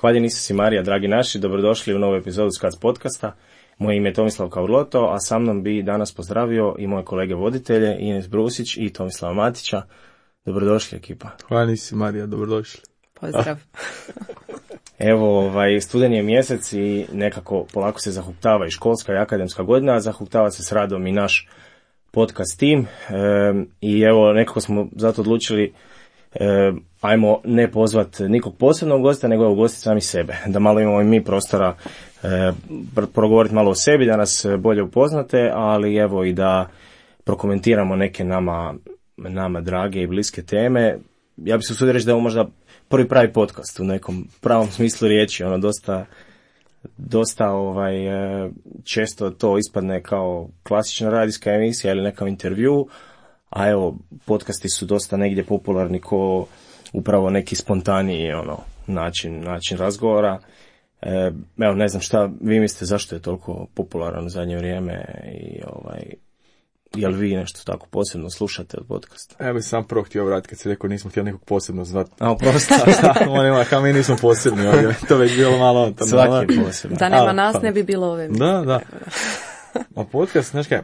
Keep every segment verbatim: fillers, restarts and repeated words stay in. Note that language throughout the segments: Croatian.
Hvaljen Isus i Marija, dragi naši, dobrodošli u novu epizodu Skac podcasta. Moje ime je Tomislav Kaurloto, a sa mnom bi danas pozdravio i moje kolege voditelje, Ines Brusić i Tomislava Matića. Dobrodošli, ekipa. Hvaljen Isus i Marija, dobrodošli. Pozdrav. Evo, ovaj, studen je mjesec i nekako polako se zahuktava i školska i akademska godina, a zahuktava se s radom i naš podcast tim. E, I evo, nekako smo zato odlučili E, ajmo ne pozvati nikog posebnog gosta, nego ugostiti sami sebe. Da malo imamo i mi prostora e, progovoriti malo o sebi, da nas bolje upoznate, ali evo i da prokomentiramo neke nama, nama drage i bliske teme. Ja bih se usudio reći da je ovo možda prvi pravi podcast u nekom pravom smislu riječi. Ono dosta, dosta ovaj, često to ispadne kao klasična radijska emisija ili nekav intervju. A evo, podcasti su dosta negdje popularni ko upravo neki spontaniji ono, način, način razgovora. E, evo, ne znam šta vi mislite zašto je toliko popularan u zadnje vrijeme i ovaj, je li vi nešto tako posebno slušate od podcasta? Ja bih sam prvo htio vratiti kad si rekao nismo htjeli nekog posebno zvati. A, oprosti. Kao mi nismo posebni ovdje, to već bilo malo. Tam, svaki je posebno. Da nema nas ne bi bilo ove. Da, da. A podcast, znaš kaj,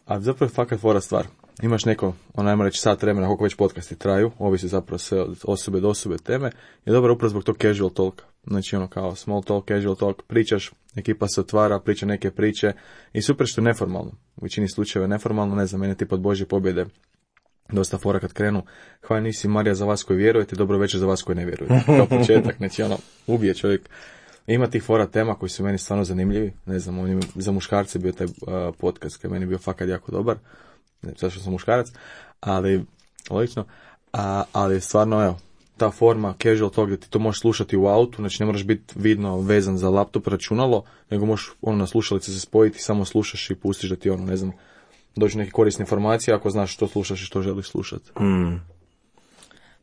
a zapravo je fakat fora stvar. Imaš neko, ono najmo reći sat vremena, koliko već podcasti traju, ovisi zapravo sve od osobe do osobe teme, je dobro upravo zbog tog casual talka. Znači ono kao small talk, casual talk, pričaš, ekipa se otvara, priča neke priče i super što je neformalno. U većini slučajeva je neformalno, ne znam, mene tip od Božje pobjede, dosta fora kad krenu. Hvala nisi Marija za vas koji vjerujete, dobro večer za vas koji ne vjerujete. Kao početak, znači ono, ubije čovjek. Ima tih fora tema koji su meni stvarno zanimljivi, ne znam, on je za muškarce bio taj uh, podcast koji meni bio fakat jako dobar. Ne, zašto sam muškarac, ali logično, a, ali stvarno, evo, ta forma casual talk, da ti to možeš slušati u autu, znači ne moraš biti vidno vezan za laptop, računalo, nego možeš ono na slušalice se spojiti, samo slušaš i pustiš da ti ono, ne znam, dođu neke korisne informacije ako znaš što slušaš i što želiš slušati. Mm.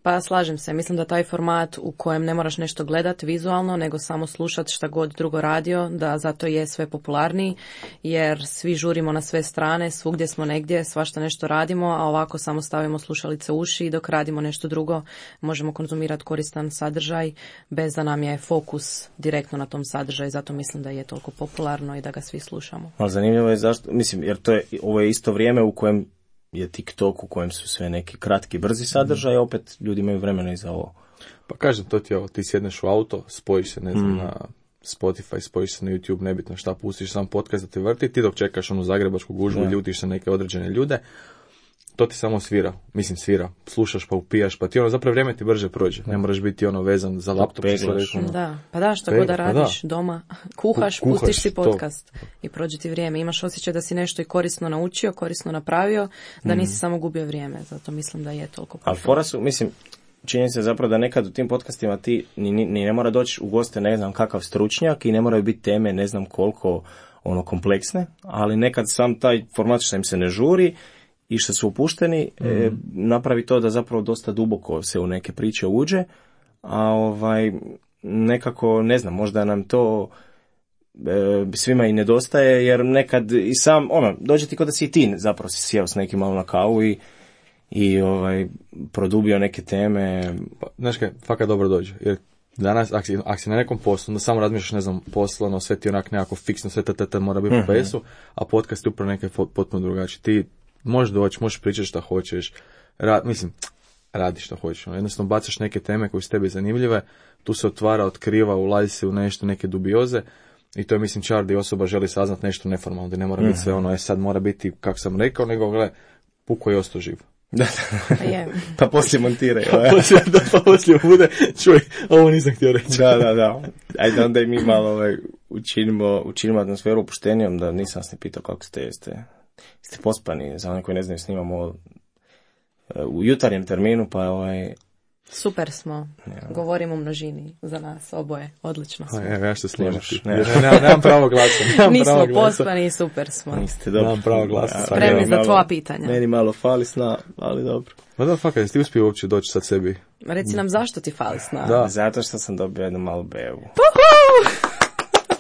Pa slažem se, mislim da taj format u kojem ne moraš nešto gledati vizualno, nego samo slušati šta god drugo radio, da zato je sve popularniji, jer svi žurimo na sve strane, svugdje smo negdje, svašta nešto radimo, a ovako samo stavimo slušalice u uši i dok radimo nešto drugo možemo konzumirati koristan sadržaj bez da nam je fokus direktno na tom sadržaju, zato mislim da je toliko popularno i da ga svi slušamo. Ali zanimljivo je zašto, mislim, jer to je, ovo je isto vrijeme u kojem je TikTok u kojem su sve neki kratki, brzi sadržaj, a opet ljudi imaju vremena i za ovo. Pa kažem, to ti je ovo, ti sjedneš u auto, spojiš se, ne znam, mm. na Spotify, spojiš se na YouTube, nebitno šta, pustiš sam podcast da te vrti, ti dok čekaš onu zagrebačku gužvu, yeah. ljutiš se neke određene ljude, to ti samo svira, mislim svira, slušaš pa upijaš, pa ti ono zapravo vrijeme ti brže prođe, ne moraš biti ono vezan za laptop. Ono. Da, pa da, što god da radiš pa da. Doma, kuhaš, Kuhaš, pustiš si podcast to. I prođe ti vrijeme, imaš osjećaj da si nešto i korisno naučio, korisno napravio, da nisi mm. samo gubio vrijeme, zato mislim da je toliko. Ali fora su, mislim, čini se zapravo da nekad u tim podcastima ti ni, ni, ni ne mora doći u goste ne znam kakav stručnjak i ne moraju biti teme ne znam koliko ono kompleksne, ali nekad sam taj format što im se ne žuri i što su upušteni, mm. e, napravi to da zapravo dosta duboko se u neke priče uđe, a ovaj, nekako, ne znam, možda nam to e, svima i nedostaje, jer nekad i sam, ono, dođe ti kod da si i ti zapravo si sjeo s nekim malo na kavu i, i ovaj, produbio neke teme. Pa, znaš kaj, fakat dobro dođe, jer danas, ako si, ak si na nekom poslu, onda samo razmišljaš, ne znam, poslano, sve ti onak nekako fiksno, sve tata mora biti mm-hmm. po pesu, a podcast je upravo neke potpuno drugačije. Ti možeš doći, možeš pričati šta hoćeš, Ra, mislim, radi šta hoćeš. Jednostavno bacaš neke teme koje su tebi zanimljive, tu se otvara, otkriva, ulazi se u nešto, neke dubioze i to je, mislim, čar da osoba želi saznat nešto neformalno, da ne mora mm. biti sve ono, je sad mora biti, kako sam rekao, nego, gle, puko je ostao živ. Da, pa poslije montiraj. Pa poslije, da, pa poslije bude, čuj, ovo nisam htio reći. Da, da, da. Ajde onda i mi malo ovaj, učinimo, učinimo atmosferu opuštenijom, da nisam vas ne pitao kako ste, jeste, ste pospani, za one koji ne znaju, snimamo u jutarnjem terminu, pa ovaj... Super smo, ja. Govorimo u množini za nas, oboje, odlično smo. Ja, ja što slimaš. Ne, nemam, nemam pravo glasa. Nemam Nismo pravo glasa. pospani i super smo. Niste dobro. Nemam pravo glasa. Spremni za tvoja pitanja. Meni malo fali sna, ali dobro. Ma da, fakat, jesi ti uspio uopće doći sad sebi? Reci nam zašto ti fali sna. Da. Zato što sam dobio jednu malu bevu. Puhu!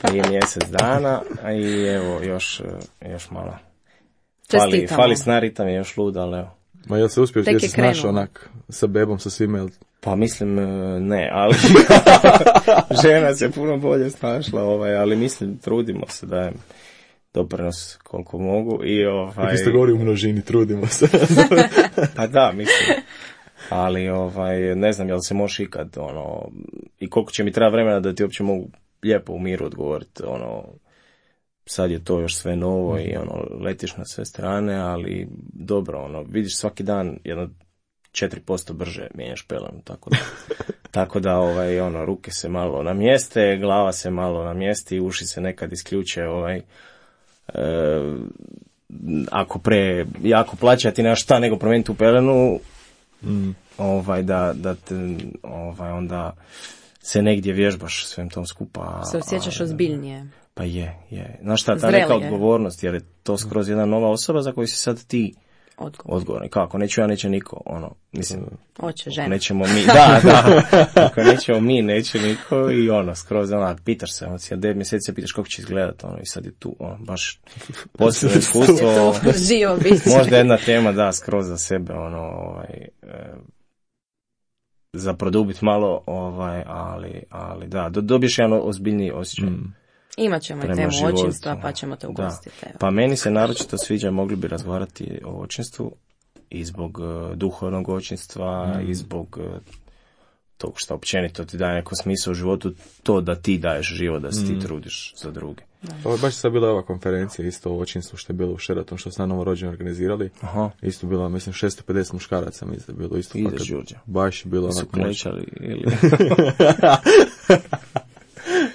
Prije mjesec dana, a i evo, još, još malo. Fali, fali sna, ritam je još lud, ali evo. Ma jel se uspio, Tek jel je se snašao krenulo. onak sa bebom, sa svime, jel? Pa mislim, e, ne, ali žena se puno bolje snašla, ovaj, ali mislim, trudimo se, dajem doprinos koliko mogu i ovaj... Vi ste govori u množini, trudimo se. Pa da, mislim. Ali, ovaj, ne znam, jel se možeš ikad, ono, i koliko će mi treba vremena da ti uopće mogu lijepo u miru odgovoriti, ono, sad je to još sve novo i, ono, letiš na sve strane, ali dobro, ono, vidiš svaki dan jedno četiri posto brže mijenjaš pelenu, tako da, tako da, ovaj, ono, ruke se malo namjeste, glava se malo namjesti, uši se nekad isključe, ovaj, e, ako pre jako plaća ti nemaš šta nego promijeniti u pelenu, mm. ovaj, da, da te, ovaj, onda se negdje vježbaš svem tom skupa. Se osjećaš ozbiljnije. Pa je, je. Znaš šta, ta Zrelije. neka odgovornost, jer je to skroz jedna nova osoba za koju si sad ti Odgovor. odgovorni. Kako, neću ja, neće niko, ono, mislim, Hoće žena. nećemo mi, da, da, ako nećemo mi, neće niko i ono, skroz, ono, pitaš se, ono, devet mjeseci se pitaš kako će izgledat, ono, i sad je tu, ono, baš posebno iskustvo, Živo biće. možda jedna tema, da, skroz za sebe, ono, ovaj, e, za produbit malo, ovaj, ali, ali da, do, dobiješ jedan ozbiljniji osjećaj. Mm. Imat ćemo i temu životu. očinstva, pa ćemo te ugostiti. Pa meni se naročito sviđa, mogli bi razgovarati o očinstvu i zbog uh, duhovnog očinstva mm. i zbog uh, tog što općenito ti daje neko smisao u životu, to da ti daješ život, da se mm. ti trudiš za druge. Ovo je baš sad bila ova konferencija isto o očinstvu što je bilo u Sheratonu, što su na novorođeni organizirali. Aha. Isto bilo, mislim, šesto pedeset muškaraca, mislim, je bilo isto. Ideš, Đurđa. Baš je bilo su klečali ili...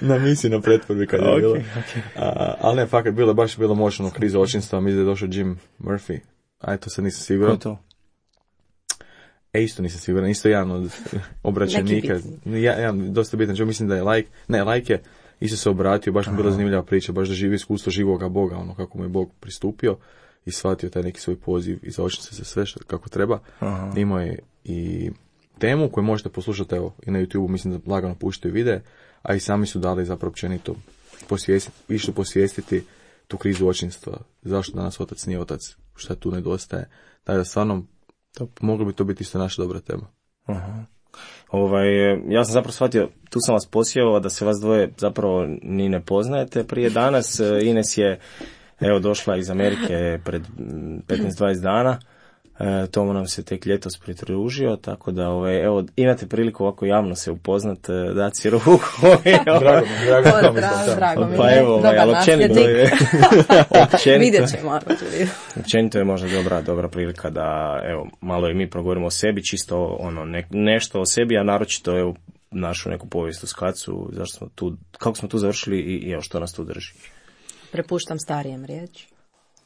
na misiji na pretvorbi kad je okay, bilo. Okay. A, ali ne, fakat, bilo, baš je bilo moćno kriza očinstva, mislim da je došao Jim Murphy. Aj, to sad nisam siguran. Ko je to? E, isto nisam siguran, isto jedan od obraćenika. Ja, jedan dosta bitan, čo mislim da je like, ne, like je, isto se obratio, baš mi bila zanimljiva priča, baš da živi iskustvo živoga Boga, ono kako mu je Bog pristupio i shvatio taj neki svoj poziv i zaočio se sve što, kako treba. Aha. Imao je i temu koju možete poslušati, evo, i na YouTube, mislim da lagano puštaju videe, a i sami su dali zapravo općenito posvijestiti, išli posvijestiti tu krizu očinstva, zašto danas otac nije otac, šta tu nedostaje. Tako da stvarno, to, moglo bi to biti isto naša dobra tema. Aha. Ovaj, ja sam zapravo shvatio, tu sam vas posjeo da se vas dvoje zapravo ni ne poznajete prije danas. Ines je, evo, došla iz Amerike pred petnaest dvadeset dana. E, tomu nam se tek ljetos pridružio, tako da, ovaj, evo, imate priliku ovako javno se upoznat, dati si ruku. Drago mi, drago mi. Drago mi. Pa evo, ovaj, ali općenito je, vidjet ćemo. općenito je možda dobra, dobra prilika da, evo, malo i mi progovorimo o sebi, čisto ono, ne, nešto o sebi, a naročito, evo, našu neku povijest u Skacu, zašto smo tu, kako smo tu završili i, i evo, što nas tu drži. Prepuštam starijem riječ.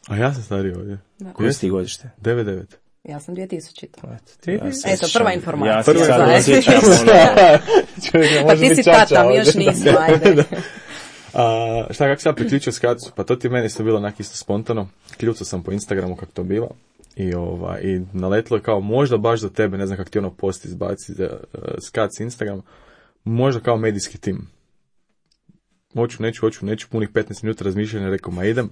A ja sam stariji ovdje. Koje si ti godište? devet devet. Ja sam dvije tisućita. Ja Eto, prva informacija. Ja se sad osjećam, ono... Pa ti si tata, mi još nismo, ajde. A, šta, kako sam priključio Skacu? Pa to ti meni isto bilo onak isto spontano. Kljucao sam po Instagramu kako to biva. I, ova, i naletilo je kao možda baš za tebe, ne znam kako ti ono post izbaci za uh, Skac Instagram, možda kao medijski tim. Hoću, neću, hoću, neću, punih petnaest minuta razmišljanja, rekao, ma idem.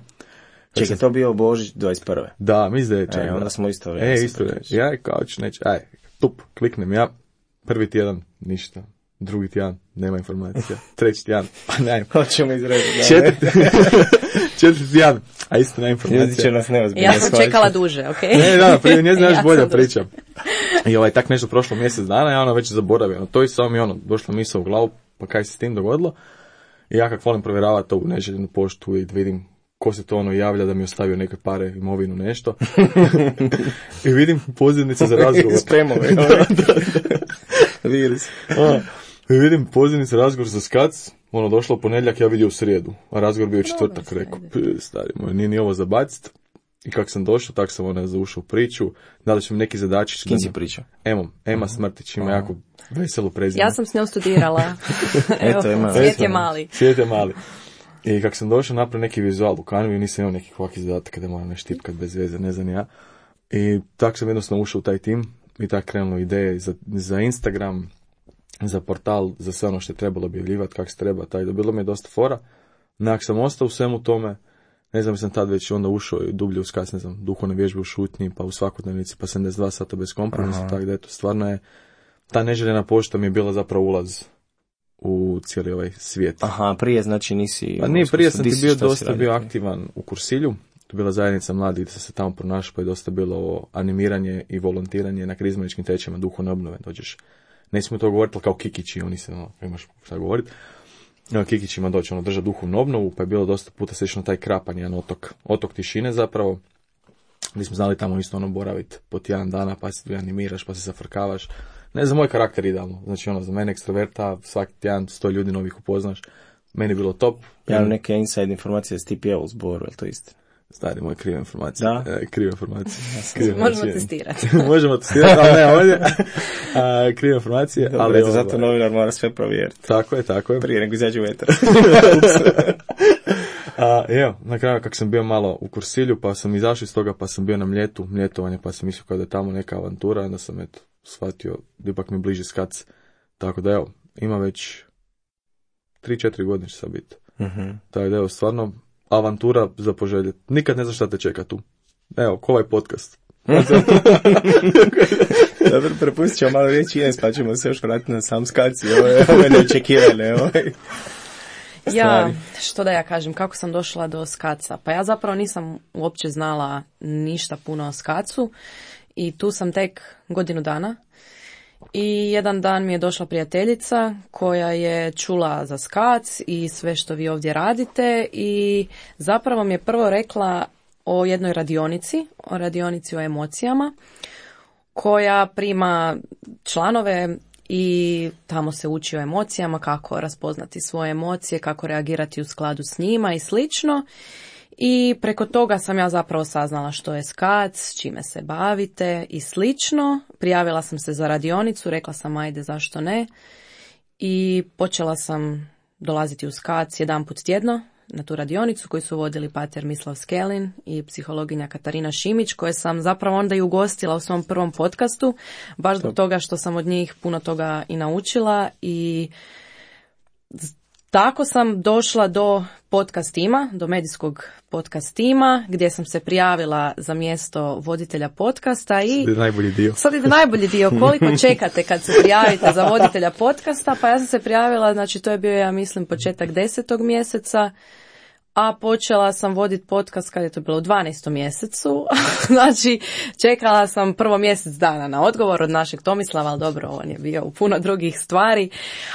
Čekaj, sam... to bio Božić dvadeset prve. Da, mislim da je čak. E, onda smo isto. E, isto je. Ja, kao ću, neću, aj, tup, kliknem ja, prvi tjedan, ništa. Drugi tjedan, nema informacija. Treći tjedan, pa ne. Hoćemo izrediti. Četvrti, četvrti tjedan, a isto nema informacija. Ljudi će nas neozbiljno. Ja sam čekala duže, okej? Okay? Ne, da, prije nije znaš bolja priča. I ovaj, tak nešto prošlo mjesec dana, ja ono već zaboravio. No, to i samo mi ono, došla misao u glavu, pa kaj se s tim dogodilo. I ja kak volim provjeravati to u neželjenu poštu i vidim ko se to ono javlja da mi ostavio neke pare, imovinu, nešto. I vidim pozivnice za razgovor. Spremove. da, da, da. Vidjeli se. I vidim pozivnice za razgovor za Skac, ono došlo u ponedjeljak, ja vidio u srijedu, a razgovor bio u četvrtak, rekao, stari moj, nije ni ovo za bacit. I kako sam došao, tak sam ona zaušao u priču, da li će mi neki zadačić. Kim si pričao? Ema, Ema Smrtić, ima jako veselu prezime. Ja sam s njom studirala. Evo, Eto, ima. Svijet je mali. Svijet je mali. I kako sam došao, napravio neki vizual u Canvi, nisam imao nekih ovakvih zadataka da moram nešto tipkat bez veze, ne znam ja. I tako sam jednostavno ušao u taj tim i tako krenulo ideje za, za Instagram, za portal, za sve ono što je trebalo objavljivati, kako se treba, taj, da bilo mi je dosta fora. Nak sam ostao u svemu tome, ne znam, sam tad već onda ušao i dublje u skac, ne znam, duhovne vježbe u šutnji, pa u svakodnevnici, pa sedamdeset dva sata bez kompromisa, tako da eto, stvarno je, ta neželjena pošta mi je bila zapravo ulaz u cijeli ovaj svijet. Aha, prije znači nisi... Pa nije, prije sam ti bio dosta bio aktivan u Kursilju, to je bila zajednica mladih gdje sam se tamo pronašao, pa je dosta bilo animiranje i volontiranje na karizmatičkim tečajima duhovne obnove, dođeš, nećemo to govoriti, ali kao Kikići, oni se, no, imaš šta govoriti, no, Kikićima doći, ono, držati duhovnu obnovu, pa je bilo dosta puta slično taj Krapan, jedan otok, otok tišine zapravo, gdje smo znali tamo isto ono boraviti po tjedan dana, pa se animiraš, pa se zafrkavaš. Ne za moj karakter idealno, znači ono, za mene ekstroverta, svaki tjedan sto ljudi novih upoznaš, meni je bilo top. Ja imam neke inside informacije s ti pjevao u zboru, je li to isto? Stari moj, krive informacije. Da? E, krive informacije. Možemo testirati. Možemo testirati, ali ne ovdje. A, krive informacije. Dobro, ali zato novinar mora sve provjeriti. Tako je, tako je. Prije nego izađe u eter. A, evo, na kraju kako sam bio malo u Kursilju, pa sam izašao iz toga, pa sam bio na Mljetu, mljetovanje, pa sam mislio kao da je tamo neka avantura, onda sam eto shvatio da ipak mi bliže skac. Tako da evo, ima već tri četiri godine će sad biti. Uh-huh. Tako da evo, stvarno avantura za poželjeti. Nikad ne znaš šta te čeka tu. Evo, ko ovaj podcast. Dobro, prepustit ćemo malo riječi Ines, pa ćemo se još vratiti na sam skaci. Ovo je, ovo je neočekivane. Ovo je. Ja, što da ja kažem, kako sam došla do skaca? Pa ja zapravo nisam uopće znala ništa puno o skacu i tu sam tek godinu dana. I jedan dan mi je došla prijateljica koja je čula za skac i sve što vi ovdje radite i zapravo mi je prvo rekla o jednoj radionici, o radionici o emocijama, koja prima članove i tamo se uči o emocijama, kako raspoznati svoje emocije, kako reagirati u skladu s njima i slično. I preko toga sam ja zapravo saznala što je skac, s čime se bavite i slično. Prijavila sam se za radionicu, rekla sam ajde zašto ne. I počela sam dolaziti u skac jedan put tjedno na tu radionicu koju su vodili pater Mislav Skelin i psihologinja Katarina Šimić, koje sam zapravo onda i ugostila u svom prvom podcastu, baš zbog toga što sam od njih puno toga i naučila i tako sam došla do podcast tima, do medijskog podcast tima, gdje sam se prijavila za mjesto voditelja podcasta i sad ide najbolji dio. Sad ide najbolji dio. Koliko čekate kad se prijavite za voditelja podcasta? Pa ja sam se prijavila, znači to je bio, ja mislim, početak desetog mjeseca, a počela sam voditi podcast kad je to bilo u dvanaestom mjesecu. Znači, čekala sam prvo mjesec dana na odgovor od našeg Tomislava, ali dobro, on je bio u puno drugih stvari.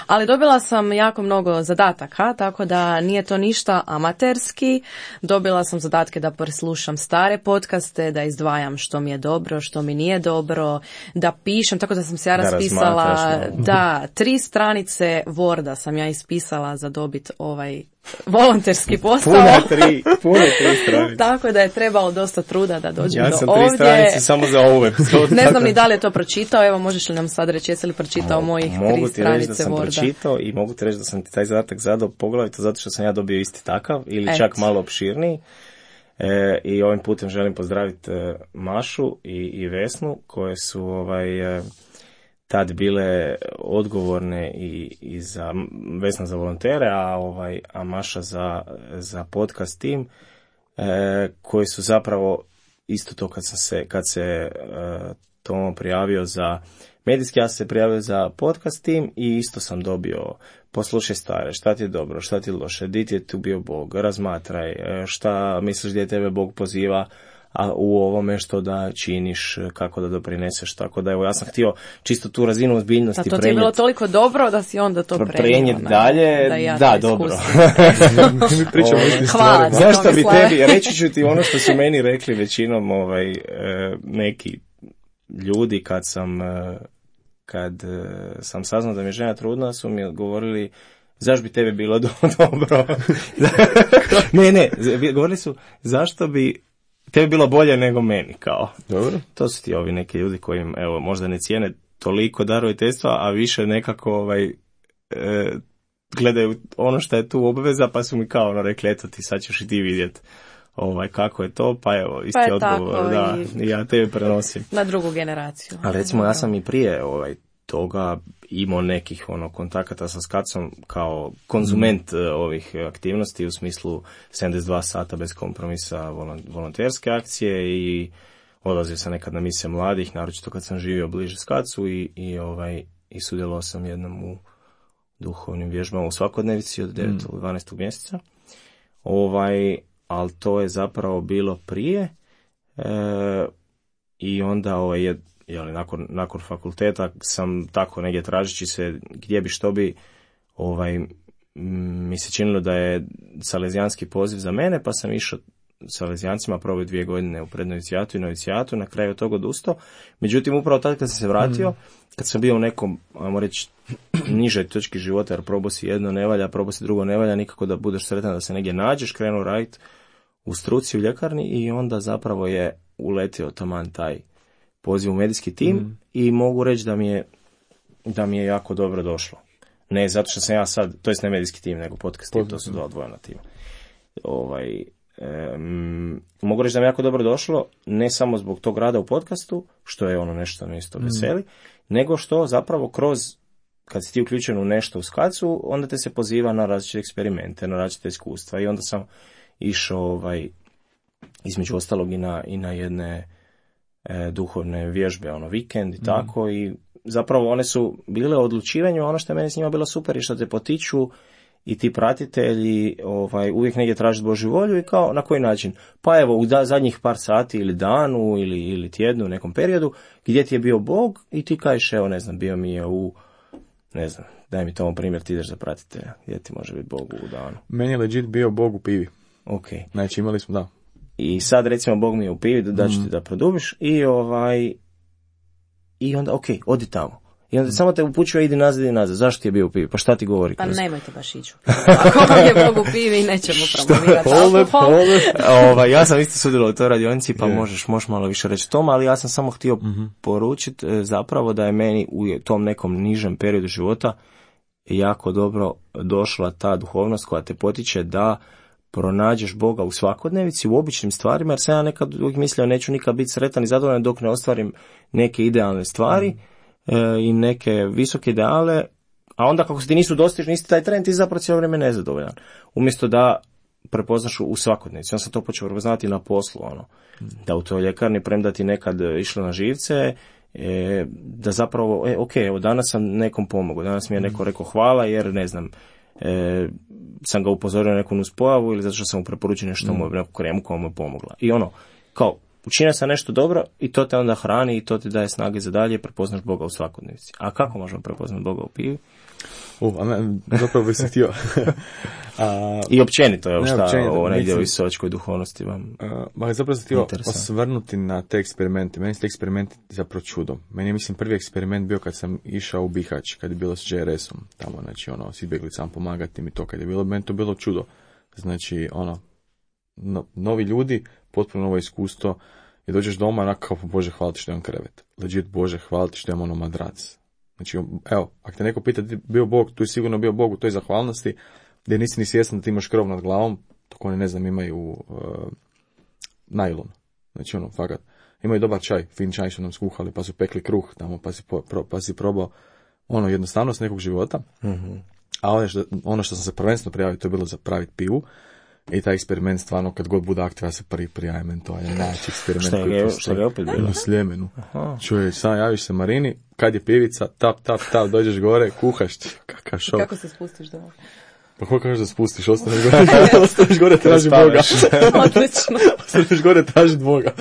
Ali dobila sam jako mnogo zadataka, tako da nije to ništa amaterski. Dobila sam zadatke da preslušam stare podcaste, da izdvajam što mi je dobro, što mi nije dobro, da pišem, tako da sam se ja raspisala, da, tri stranice Worda sam ja ispisala za dobit ovaj volonterski posao. Puna tri, pune tri stranice. Tako da je trebalo dosta truda da dođem ja do ovdje. ovdje. Ja sam tri stranice samo za ovu epizodu. Ne znam ni da li je to pročitao, evo možeš li nam sad reći, jesi li pročitao Mo, mojih tri stranice Worda? Mogu ti reći da sam Worda. pročitao i mogu ti reći da sam ti taj zadatak zadao poglavito zato što sam ja dobio isti takav ili Et. čak malo opširniji. E, I ovim putem želim pozdraviti e, Mašu i, i Vesnu koje su ovaj... E, tad bile odgovorne i, i za Vesna za volontere, a ovaj a Maša za, za podcast tim, e, koji su zapravo isto to kad sam se kad se e, Tomo prijavio za medijski, ja sam se prijavio za podcast tim i isto sam dobio poslušaj stare, šta ti je dobro, šta ti je loše, di ti je tu bio Bog, razmatraj, šta misliš gdje tebe Bog poziva, a u ovome što da činiš, kako da doprineseš, tako da evo ja sam htio čisto tu razinu ozbiljnosti prenijeti. A to ti je bilo toliko dobro da si onda to prenio. dalje, da, ja da dobro. Mi pričamo o Hvala. Zašto bi tebi, reći ću ti ono što su meni rekli većinom ovaj, neki ljudi kad sam, kad sam saznao da mi je žena trudna, su mi odgovorili zašto bi tebi bilo do, dobro. ne, ne, govorili su zašto bi tebi bilo bolje nego meni, kao. Dobro. To su ti ovi neki ljudi koji, evo, možda ne cijene toliko daroviteljstva, a više nekako ovaj, e, gledaju ono što je tu obveza, pa su mi kao ono rekli, eto ti sad ćeš i ti vidjeti ovaj, kako je to, pa evo, isti pa odgovor, da, i ja tebi prenosim. Na drugu generaciju. Ali recimo, ja sam i prije ovaj, toga imao nekih ono kontakata sa Skacom kao konzument mm. ovih aktivnosti u smislu sedamdeset dva sata bez kompromisa volonterske akcije i odlazio sam nekad na misije mladih, naročito kad sam živio bliže Skacu i, i, ovaj, i sudjelovao sam jednom u duhovnim vježbama u svakodnevici od devetog do dvanaestog mjeseca. Ovaj, ali to je zapravo bilo prije e, i onda ovaj, je, jeli, nakon, nakon fakulteta sam tako negdje tražeći se gdje bi što bi ovaj, mi se činilo da je salezijanski poziv za mene, pa sam išao Salezijancima, probao dvije godine u prednovicijatu i novicijatu, na kraju toga odustao. Međutim, upravo tad kad sam se vratio, kad sam bio u nekom, ajmo reći, nižoj točki života, jer probao si jedno ne valja, probao si drugo ne valja, nikako da budeš sretan da se negdje nađeš, krenuo raditi u struci u ljekarni i onda zapravo je uletio taman taj poziv u medijski tim mm. i mogu reći da mi je da mi je jako dobro došlo. Ne zato što sam ja sad, to jest ne medijski tim, nego podcast tim, to su dva odvojena tima. Ovaj, Um, mogu reći da mi jako dobro došlo, ne samo zbog tog rada u podcastu, što je ono nešto me isto veseli, mm. nego što zapravo kroz, kad si ti uključen u nešto u Skacu, onda te se poziva na različite eksperimente, na različite iskustva i onda sam išao ovaj, između ostalog i na, i na jedne e, duhovne vježbe, ono vikend i tako mm. i zapravo one su bile o odlučivanju, ono što je meni s njima bilo super i što te potiču i ti pratitelji ovaj, uvijek negdje traži Božju volju i kao na koji način. Pa evo, u da, zadnjih par sati ili danu ili, ili tjednu u nekom periodu gdje ti je bio Bog i ti kažeš, evo ne znam, bio mi je u, ne znam, daj mi tomu primjer, ti ideš za pratitelja, gdje ti može biti Bog u danu. Meni je legit bio Bog u pivi. Ok. Znači imali smo, da. I sad recimo Bog mi je u pivi, da ću mm. ti da produbiš i ovaj, i onda ok, odi tamo. I onda samo te upućuje, idi nazad i nazad. Zašto ti je bio u pivi? Pa šta ti govori? Pa nemojte baš ići u pivi. Ako vam je Bog u pivi, nećemo promovirati alkohol. Ovaj, ja sam isto sudjelovao u toj radionici, pa yeah. možeš, možeš malo više reći tome, ali ja sam samo htio mm-hmm. poručiti zapravo da je meni u tom nekom nižem periodu života jako dobro došla ta duhovnost koja te potiče da pronađeš Boga u svakodnevici, u običnim stvarima, jer sam ja nekad uvijek mislio neću nikad biti sretan i zadovoljan dok ne ostvarim neke idealne stvari, mm. i neke visoke ideale, a onda kako se ti nisu dostižni isti taj trend, ti zapravo cijelo vrijeme nezadovoljan. Umjesto da prepoznaš u svakodnevnici. Ja sam to počeo prepoznati na poslu, ono, mm. da u toj ljekarni, premda ti nekad išlo na živce, e, da zapravo, e, ok, evo danas sam nekom pomogao, danas mi je neko rekao hvala jer, ne znam, e, sam ga upozorio na neku nuspojavu ili zato što sam mu preporučio nešto, mm. mu neku kremu koja mu je pomogla. I ono, kao, učinio sam nešto dobro i to te onda hrani i to ti daje snage za dalje, prepoznaš Boga u svakodnevici. A kako možemo prepoznati Boga u pivi? Uh, a ne, zapravo bih se htio. a, I općenito, evo šta, općenito, ovo negdje u isovačkoj duhovnosti vam a, ma zapravo se htio osvrnuti na te eksperimente. Meni su te eksperimenti zapravo čudo. Meni je, mislim, prvi eksperiment bio kad sam išao u Bihać, kad je bilo s J R S-om, tamo, znači, ono, s izbjeglicama pomagati mi to, kad je bilo, meni to bilo čudo. Znači, ono, no, novi ljudi, potpuno novo iskustvo, i dođeš doma, onako kao, Bože, hvala ti što imam krevet. Legit, Bože, hvala ti što imam ono madrac. Znači, evo, ako te neko pita, bio Bog, tu je sigurno bio Bog u toj zahvalnosti, gdje nisi ni svjestan da ti imaš krov nad glavom, dok oni, ne znam, imaju uh, najlon. Znači, ono, fakat. Imaju dobar čaj, fin čaj su nam skuhali, pa su pekli kruh tamo, pa si, po, pro, pa si probao, ono, jednostavnost nekog života. Mm-hmm. A ono što, ono što sam se prvenstveno prijavio, to je bilo za praviti pivu. I taj eksperiment stvarno, kad god bude aktiv, ja se prvi prijavim, to je najveći eksperiment. Šta je, šta je opet bilo? U Sljemenu. Čuješ, sam javiš se Marini, kad je pivica, tap, tap, tap, dođeš gore, kuhaš, kakav šok. Kako se spustiš doma? Pa kako kažeš da spustiš, ostaneš gore, ostaneš gore, traži Boga. Odlično. Ostaneš gore, traži Boga.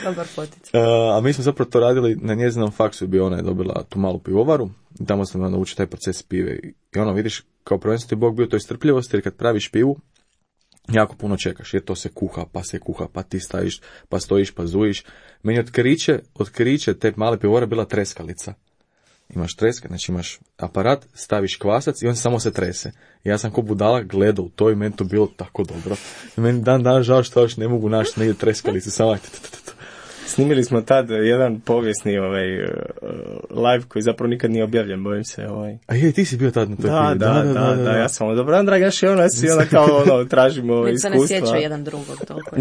Dobar poticaj. Uh, a mi smo zapravo to radili na njezinom faksu, je bio ona je dobila tu malu pivovaru, i tamo sam naučio taj proces pive. I ono, vidiš, kao prvenstveno ti Bog bio toj strpljivosti, jer kad praviš pivu, jako puno čekaš, jer to se kuha, pa se kuha, pa ti staviš, pa stojiš, pa zujiš. Meni otkriće, otkriće te male pivovare bila treskalica. Imaš treska, znači imaš aparat, staviš kvasac i on samo se trese. I ja sam ko budala gledao u to i meni to bilo tako dobro. I meni dan dan žao što još ne mogu naći negdje treskalicu, samo snimili smo tad jedan povijesni ovaj, live koji zapravo nikad nije objavljen, bojim se. Ovaj. A je, ti si bio tad na toj da, da, da, da, da, da, da, ja sam ono, dobro, Andragaš i ono, svi onda kao ono, tražimo ovaj, iskustva. Nek se ne sjeća jedan drugog toliko.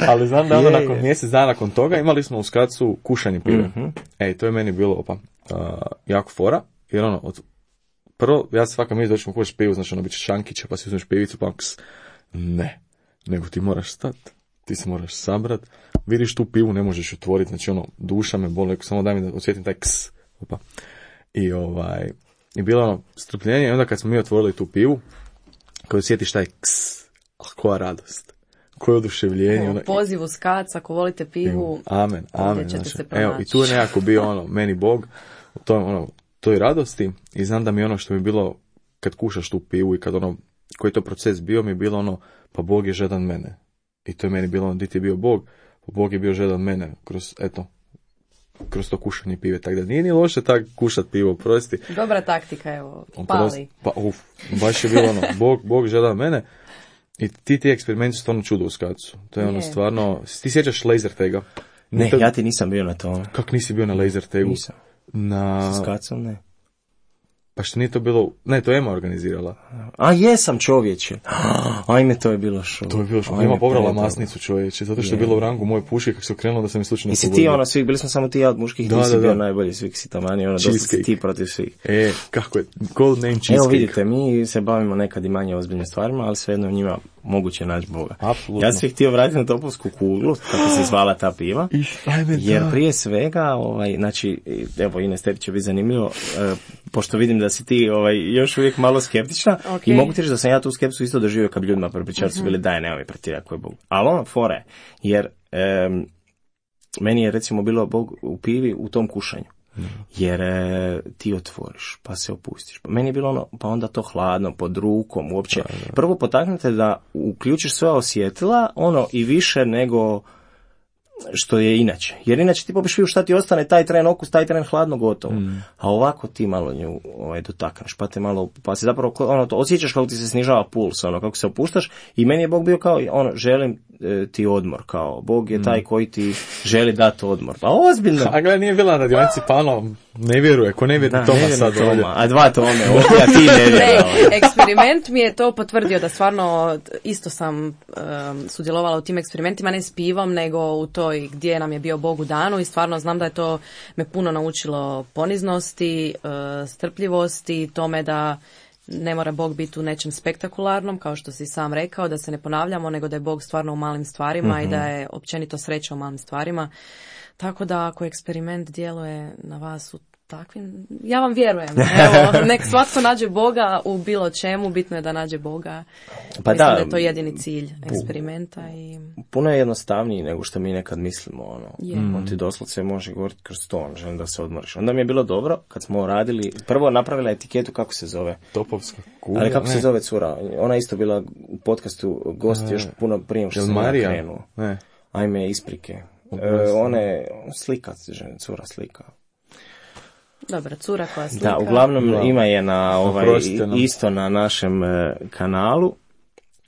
Ali znam da ono Je, nakon je. mjesec dana nakon toga imali smo u Skacu kušanje pive. Mhm. Ej, to je meni bilo opa, uh, jako fora, jer ono, od, prvo, ja se svaka mi doćemo kušati pivu, znači ono, bit će šankića, pa si uzmeš pivicu, pa ks. Ne, nego ti moraš stat, ti se moraš sabrat, vidiš tu pivu, ne možeš otvoriti, znači ono, duša me boli, samo daj mi da osjetim taj ks. Opa. I ovaj, i bilo ono, strpljenje, i onda kad smo mi otvorili tu pivu, kad osjetiš taj ks, a koja radost. Koje oduševljenje. U pozivu Skac, ako volite pivu, amen, amen. ćete Znači, se evo, pronaći. i tu je nekako bio ono, meni Bog, u toj, ono, toj radosti, i znam da mi ono što mi je bilo, kad kušaš tu pivu i kad ono, koji je to proces bio, mi je bilo ono, pa Bog je žedan mene. I to je meni bilo ono, di ti je bio Bog, pa Bog je bio žedan mene, kroz, eto, kroz to kušanje pive, tako da nije ni loše tak kušat pivo, prosti. Dobra taktika, evo, On pali. prost- Pa, uf, baš je bilo ono, Bog, Bog žedan mene. I ti ti eksperimenti su stvarno čudo u Skacu. To je ono Je. stvarno, ti sjećaš laser tega? Ne, To- ja ti nisam bio na tome. Kak nisi bio na laser tegu? Nisam. Na... S Kacom ne. Pa što nije to bilo... Ne, to je Ema organizirala. A jesam čovječe. Ajme, to je bilo šo. To je bilo što Ajme, Ema pobrala predobro. masnicu, čovječe, zato što je Je. bilo u rangu moje puške kako se okrenulo da sam mi slučajno Jesi ti pogodio. ono svih, bili smo samo ti ja od muških, Da, ti si da, bio da. najbolji svih si tamani, ono, dosta si Cheesecake. ti protiv svih. E, kako je, gold name cheesecake. Evo vidite, mi se bavimo nekad i manje ozbiljnim stvarima, ali svejedno u njima moguće naći Boga. Apsolutno. Ja sam se htio vratiti na topovsku kuglu, kako se zvala ta piva. Ajme, Jer da. prije svega, ovaj, znači, evo Ines, tebi će biti zanimljivo, e, pošto vidim da si ti ovaj, još uvijek malo skeptična, Ok. i mogu ti reći da sam ja tu skepsu isto doživio kad bi ljudima prepričali su bili daj, nemoj pretjerati ko je Bog. Ali ono fore, jer em, meni je recimo bilo Bog u pivi u tom kušanju. Jer e, ti otvoriš, pa se opustiš. Pa meni je bilo ono, pa onda to hladno, pod rukom, uopće. Prvo potaknete da uključiš sva osjetila, ono i više nego što je inače. Jer inače ti popiš pivu šta ti ostane, taj tren okus, taj tren hladno, gotovo. Mm. A ovako ti malo nju ovaj, dotakneš, pa te malo, pa se zapravo ono, to, osjećaš kako ti se snižava puls, ono, kako se opuštaš, i meni je Bog bio kao, ono, želim e, ti odmor, kao, Bog je taj koji ti želi dati odmor. Pa ozbiljno. A gledaj, nije bila na radionici, pa ono, ne vjeruje, ko ne vjeruje Da, Toma ne vjerujem sad ovdje. Toma, a dva Tome, ovdje, a ti ne Ne, vjerujem. eksperiment mi je to potvrdio da stvarno isto sam um, sudjelovala u tim eksperimentima, ne s pivom, nego u toj gdje nam je bio Bog u danu, i stvarno znam da je to me puno naučilo poniznosti, uh, strpljivosti, tome da ne mora Bog biti u nečem spektakularnom, kao što si sam rekao, da se ne ponavljamo, nego da je Bog stvarno u malim stvarima i da je općenito sreća u malim stvarima. Tako da ako eksperiment djeluje na vas u takvim, ja vam vjerujem. Evo, nek svatko nađe Boga u bilo čemu, bitno je da nađe Boga. Pa Mislim da, da je to jedini cilj eksperimenta. I... puno je jednostavniji nego što mi nekad mislimo, ono. Je. On ti doslovce može govoriti kroz to, on želim da se odmoriš. Onda mi je bilo dobro kad smo radili, prvo napravila etiketu kako se zove. Topovska kugla. Ali kako ne. se zove cura? Ona je isto bila u podcastu gost još puno prije što Jel sam ja Marija? krenuo. Ne. Ajme, isprike. E, Oprosti. ona je slika, žena, cura slika. Dobra, cura koja slika. Da, uglavnom Da. ima je na ovaj, Oprostite nam. isto na našem e, kanalu.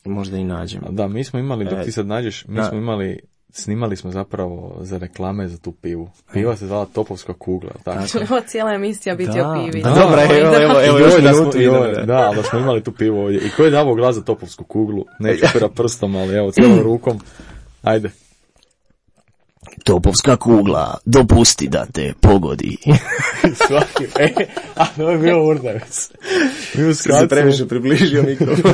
Možda i nađem. Da, mi smo imali, dok E, ti sad nađeš, mi da. smo imali, snimali smo zapravo za reklame za tu pivu. Piva se zvala Topovska kugla, jel tako? Će li ova cijela emisija biti Da, o pivi? da, dobro, evo, evo, evo, I još ovo da smo- minutu i ovo- idemo, da. Da, ali da smo imali tu pivu ovdje. I ko je davao glas za Topovsku kuglu? Neću pera prstom, ali evo, cijelom rukom. Ajde. Topovska kugla, dopusti da te pogodi. Svaki, e, a to je bio Urdavec. Mi u Se Skacu, previše približio mikrofon.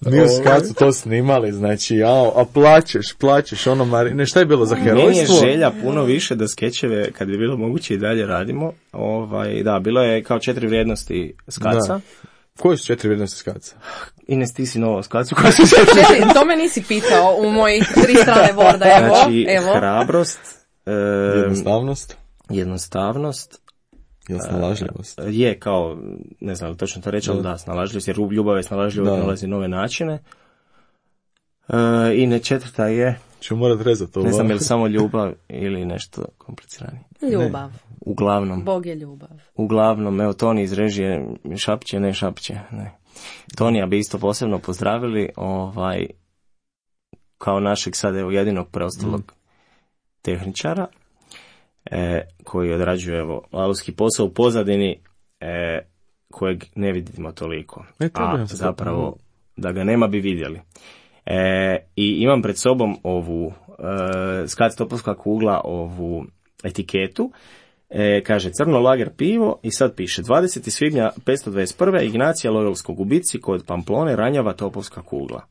mi u Skacu to snimali, znači, jao, a plaćeš, plaćeš, ono, Mari, ne, šta je bilo za Meni je herojstvo? želja puno više da skečeve, kad bi bilo moguće i dalje radimo. Ovaj, da, bilo je kao četiri vrijednosti skaca. Da. Koje su četiri vrijednosti Skaca? Ines, ti si novo skacu koja su se... Ne, to me nisi pitao u mojih tri strane borda. Evo, Znači, evo. hrabrost, e, Jednostavnost, jednostavnost, jel snalažljivost? je kao, ne znam li točno to reći, ali da, snalažljivost, jer ljubav je snalažljivost, Da. nalazi nove načine. E, I ne četvrta je, Ću morat rezati to. ne znam va? je li samo ljubav ili nešto kompliciranije. Ljubav. Uglavnom, Bog je ljubav. uglavnom, evo Toni iz režije šapće, ne šapće, ne. Tonija bi isto posebno pozdravili, ovaj, kao našeg sad evo jedinog preostalog tehničara, e, koji odrađuje evo lavovski posao u pozadini, e, kojeg ne vidimo toliko, E, to bi a nam se zapravo to- da ga nema bi vidjeli. E, I imam pred sobom ovu e, Skac topovska kugla, ovu etiketu. E, kaže crno lager pivo i sad piše dvadesetog svibnja petsto dvadeset prve. Ignacija Loyolskog u bitci kod Pamplone ranjava topovska kugla.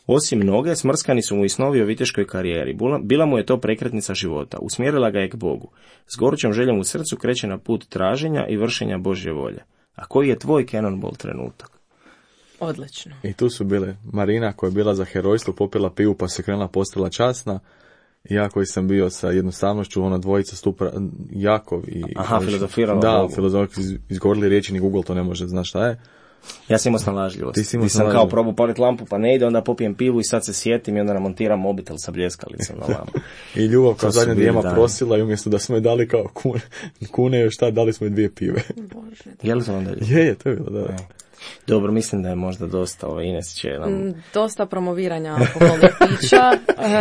Osim noge, smrskani su mu i snovi o viteškoj karijeri. Bila mu je to prekretnica života. Usmjerila ga je k Bogu. S gorućom željom u srcu kreće na put traženja i vršenja Božje volje. A koji je tvoj Cannonball trenutak? Odlično. I tu su bile Marina koja je bila za herojstvo, popila pivu pa se krenula postala časna. I ja koji sam bio sa jednostavnošću, ona dvojica stupa Jakov i... Aha, filozofirala. Da, filozofirala, izgovorili riječi, ni Google to ne može, znaš šta je. Ja sam imao snalažljivost. Ti si imao sam kao probu palit lampu pa ne ide, onda popijem pivu i sad se sjetim i onda namontiram mobitel sa bljeskalicom na lampu. I ljubav kao zadnja dijema prosila i umjesto da smo je dali kao kune, kune još šta, dali smo je dvije pive. Je li to onda? Je, je, to je bilo, da. da. Dobro, mislim da je možda dosta, ovo Ines će nam... Dosta promoviranja alkoholnih pića.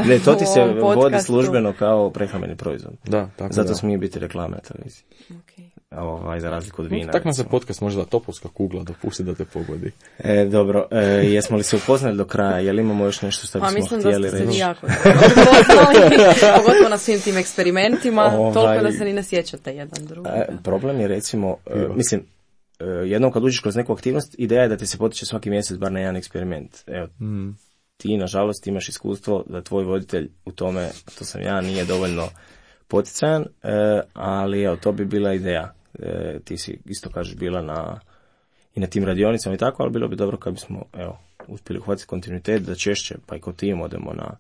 Ne, to ti se vodi službeno kao prehrambeni proizvod. Da, tako Zato da. smije biti reklame na televiziji. Okay. Ovaj, za razliku od vina. Tako nam se podcast može da topovska kugla dopusti da te pogodi. E, dobro, e, jesmo li se upoznali do kraja? Je li imamo još nešto što bismo mislim htjeli reći? Pa mislim da ste se jako upoznali, pogotovo na svim tim eksperimentima, ovaj, toliko da se ni ne sjećate jedan drugi. E, problem je recimo, e, mislim, e, jednom kad uđeš kroz neku aktivnost, ideja je da ti se potiče svaki mjesec bar na jedan eksperiment. Evo, mm. ti nažalost imaš iskustvo da tvoj voditelj u tome, to sam ja, nije dovoljno poticajan, e, ali evo, to bi bila ideja. E, ti si isto kažeš bila na i na tim radionicama i tako, ali bilo bi dobro kad bismo evo, uspjeli uhvatiti kontinuitet da češće pa i ko tim odemo na,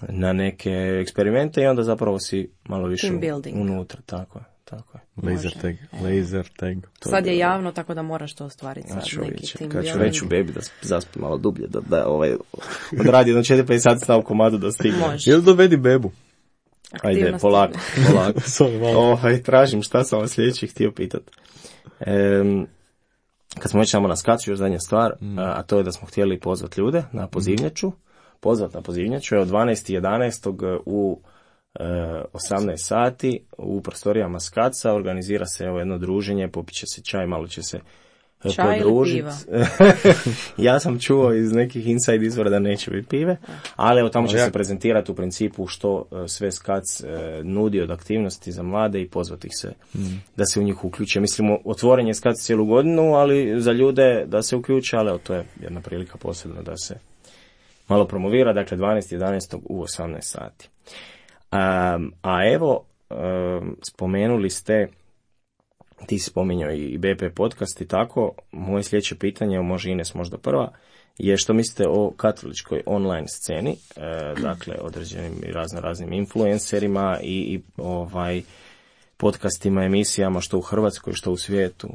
na neke eksperimente i onda zapravo si malo više unutra, tako je. Tako je. Laser tag, laser tag. To sad je javno, tako da moraš to ostvariti. Sad znači, neki team kad ću reći u bebi da zaspi malo dublje, da, da ovaj, odradi jedno četiri pet sati stav komadu da stigne. Jel dovedi bebu? Ajde, polako, polako. Ovaj, tražim šta sam vas sljedeći htio pitati. Ehm, kad smo već samo na skacu, još zadnja stvar, mm. a to je da smo htjeli pozvati ljude na pozivnjaču, pozvati na pozivnjaču, evo dvanaestog jedanaestog u e, osamnaest sati u prostorijama Skaca organizira se evo jedno druženje, popit će se čaj, malo će se čaj podružiti. Ili piva? Ja sam čuo iz nekih inside izvora da neće biti pive, ali evo tamo će se prezentirati u principu što sve Skac e, nudi od aktivnosti za mlade i pozvati ih se mm. da se u njih uključe. Mislimo, otvoren je Skac cijelu godinu, ali za ljude da se uključe, ali evo, to je jedna prilika posebno da se malo promovira, dakle dvanaestog jedanaestog u osamnaest sati. Um, a evo, um, spomenuli ste, ti si spominjao i B P podcast i tako, moje sljedeće pitanje, može Ines možda prva, je što mislite o katoličkoj online sceni, e, dakle određenim i razno raznim influencerima i, i ovaj podcastima, emisijama, što u Hrvatskoj, što u svijetu.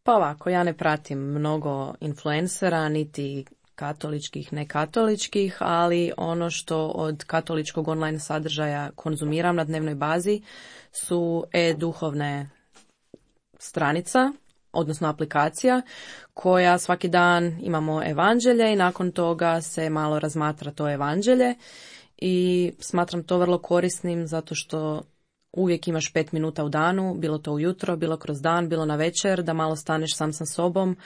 Pa ovako, ja ne pratim mnogo influencera, niti katoličkih, nekatoličkih, ali ono što od katoličkog online sadržaja konzumiram na dnevnoj bazi su e-duhovne stranica, odnosno aplikacija, koja svaki dan imamo evanđelje i nakon toga se malo razmatra to evanđelje i smatram to vrlo korisnim zato što uvijek imaš pet minuta u danu, bilo to ujutro, bilo kroz dan, bilo na večer, da malo staneš sam sa sobom,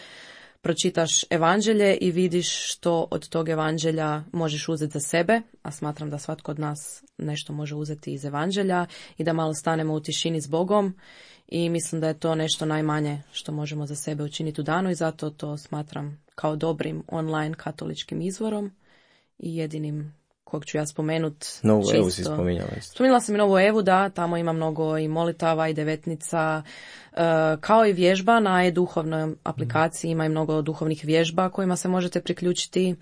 pročitaš evanđelje i vidiš što od tog evanđelja možeš uzeti za sebe, a smatram da svatko od nas nešto može uzeti iz evanđelja i da malo stanemo u tišini s Bogom i mislim da je to nešto najmanje što možemo za sebe učiniti u danu i zato to smatram kao dobrim online katoličkim izvorom i jedinim kog ću ja spomenut. Novu čisto. Evu si spominjala. Spominjala sam i Novu Evu, da, tamo ima mnogo i molitava i devetnica, uh, kao i vježba na e-duhovnoj aplikaciji, ima i mnogo duhovnih vježba kojima se možete priključiti,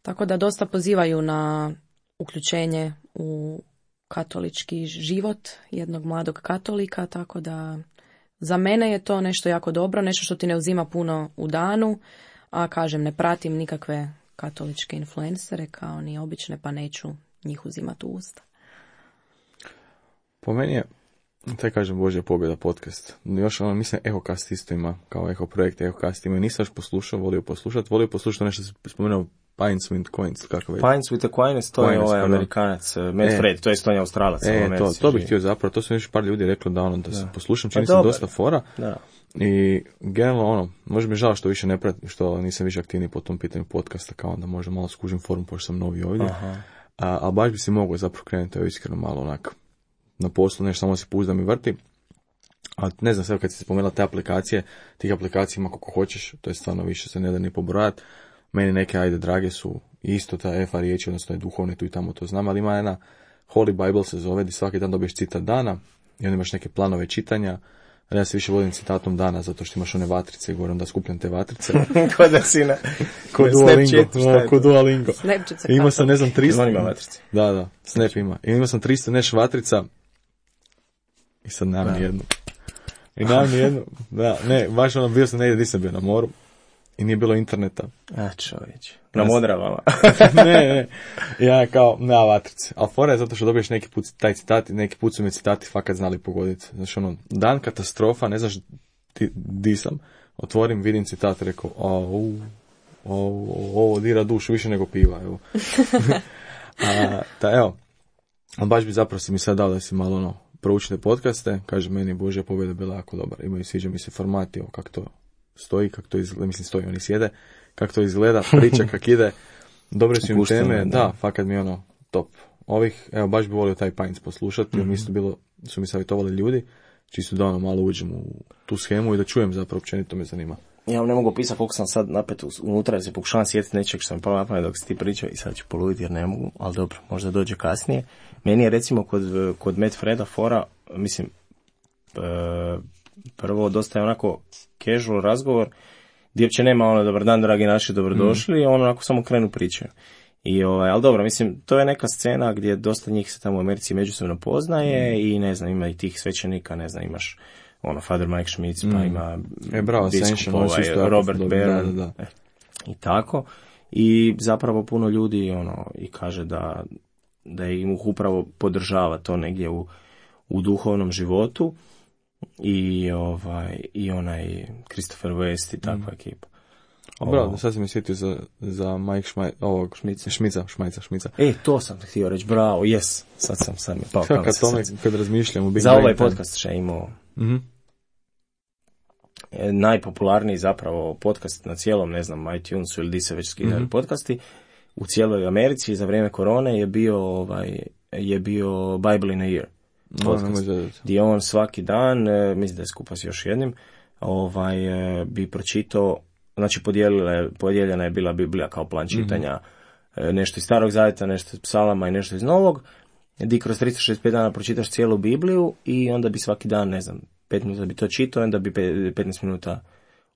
tako da dosta pozivaju na uključenje u katolički život jednog mladog katolika, tako da za mene je to nešto jako dobro, nešto što ti ne uzima puno u danu, a kažem, ne pratim nikakve katoličke influencere kao ni obične, pa neću njih uzimati u usta. Po meni je, taj kažem, Božja pobjeda podcast. Još ono, mislim, EhoCast isto ima, kao Eho projekt, EhoCast ima. Nisam još poslušao, volio poslušati, volio poslušati nešto se spomenuo Pints with Coins, kako već. Pints with the Coins, to Coins, je ovaj pardon. Amerikanac, Matt e, Fred, to je isto on je Australac. E, to, to bih htio zapravo, to su još par ljudi rekli da ono, da, da. se poslušam, čini se dosta fora. Da. I generalno ono, možda mi je žao što više ne pratim, što nisam više aktivniji po tom pitanju podcasta, kao onda možda malo skužim forum, pošto sam novi ovdje. A, a baš bi si mogao zapravo krenuti, evo iskreno malo onak na poslu, nešto samo si puzdam i vrti. A ne znam, sve kad si spomenula te aplikacije, tih aplikacija ima koliko hoćeš, to je stvarno više se ne da ni pobrojati. Meni neke, ajde, drage su isto ta F A riječi, odnosno je duhovni, tu i tamo to znam, ali ima jedna Holy Bible se zove, gdje svaki dan dobiješ citat dana i onda imaš neke planove čitanja. Ali ja se više vodim citatom dana, zato što imaš one vatrice i govorim da skupljam te vatrice. Kod da si na... Kod Duolingo. Kod Duolingo. Imao sam, ne znam, tristo... Ima vatrice. Da, da, Snap ima. I imao sam tristo neš vatrica i sad nemam ni jednu. I nemam ni jednu. Da, ne, baš ono, bio sam negdje, nisam bio na moru i nije bilo interneta. A čovječ. Na Modravama. ne, ne. Ja kao, nema vatrice. Ali fora je zato što dobiješ neki put taj citati, neki put su mi citati fakat znali pogoditi. Znači ono, dan katastrofa, ne znaš ti, di sam, otvorim, vidim citat, rekao, au, ovo dira dušu više nego piva, evo. A, ta, evo, ali baš bi zapravo si mi sad dao da si malo ono, proučite podcaste, kaže meni Božja pobjeda bila jako dobar. Imaju, sviđa mi se formati, ovo, kako to stoji, kako to izgleda, mislim stoji, oni sjede, kako to izgleda, priča kak ide, dobre su im teme, da, da, fakat mi ono top. Ovih, evo, baš bi volio taj Pines poslušati, mm-hmm. isto bilo, su mi savjetovali ljudi, čisto da ono malo uđem u tu schemu i da čujem zapravo, općenito me zanima. Ja vam ne mogu pisati koliko sam sad napet unutra, jer se pokušavam sjetiti nečeg što sam palo na pamet dok si ti pričao i sad ću poluditi jer ne mogu, ali dobro, možda dođe kasnije. Meni je recimo kod, kod Matt Freda fora, mislim, e, prvo dosta je onako casual razgovor, gdje uopće nema ono dobar dan, dragi naši, dobrodošli, mm. i ono onako samo krenu pričaju. I ovaj, ali dobro, mislim, to je neka scena gdje dosta njih se tamo u Americi međusobno poznaje mm. i ne znam, ima i tih svećenika, ne znam, imaš ono, Father Mike Schmitz, mm. pa ima e, bravo, biskup, ovaj, Robert Barron, da, da, da. i tako. I zapravo puno ljudi ono i kaže da, da im upravo podržava to negdje u, u duhovnom životu. I ovaj i onaj Christopher West i takva mm. ekipa. Bravo, sad sam mi sjetio za, za Mike Šmaj, ovog Šmica, Šmica, Šmajca, Šmica. E, to sam htio reći, bravo, yes, sad sam sad mi pao. Kad, tome, kad razmišljam u Big za ovaj podcast še imao mm-hmm. e, najpopularniji zapravo podcast na cijelom, ne znam, iTunesu ili di se već skidali mm-hmm. podcasti u cijeloj Americi za vrijeme korone je bio ovaj je bio Bible in a Year. Podcast, no, gdje on svaki dan, e, mislim da je skupa s još jednim, ovaj, e, bi pročitao, znači podijeljena je bila Biblija kao plan čitanja, mm-hmm. e, nešto iz Starog Zavjeta, nešto iz Psalama i nešto iz Novog, gdje kroz tristo šezdeset pet dana pročitaš cijelu Bibliju i onda bi svaki dan, ne znam, pet minuta bi to čitao, onda bi petnaest minuta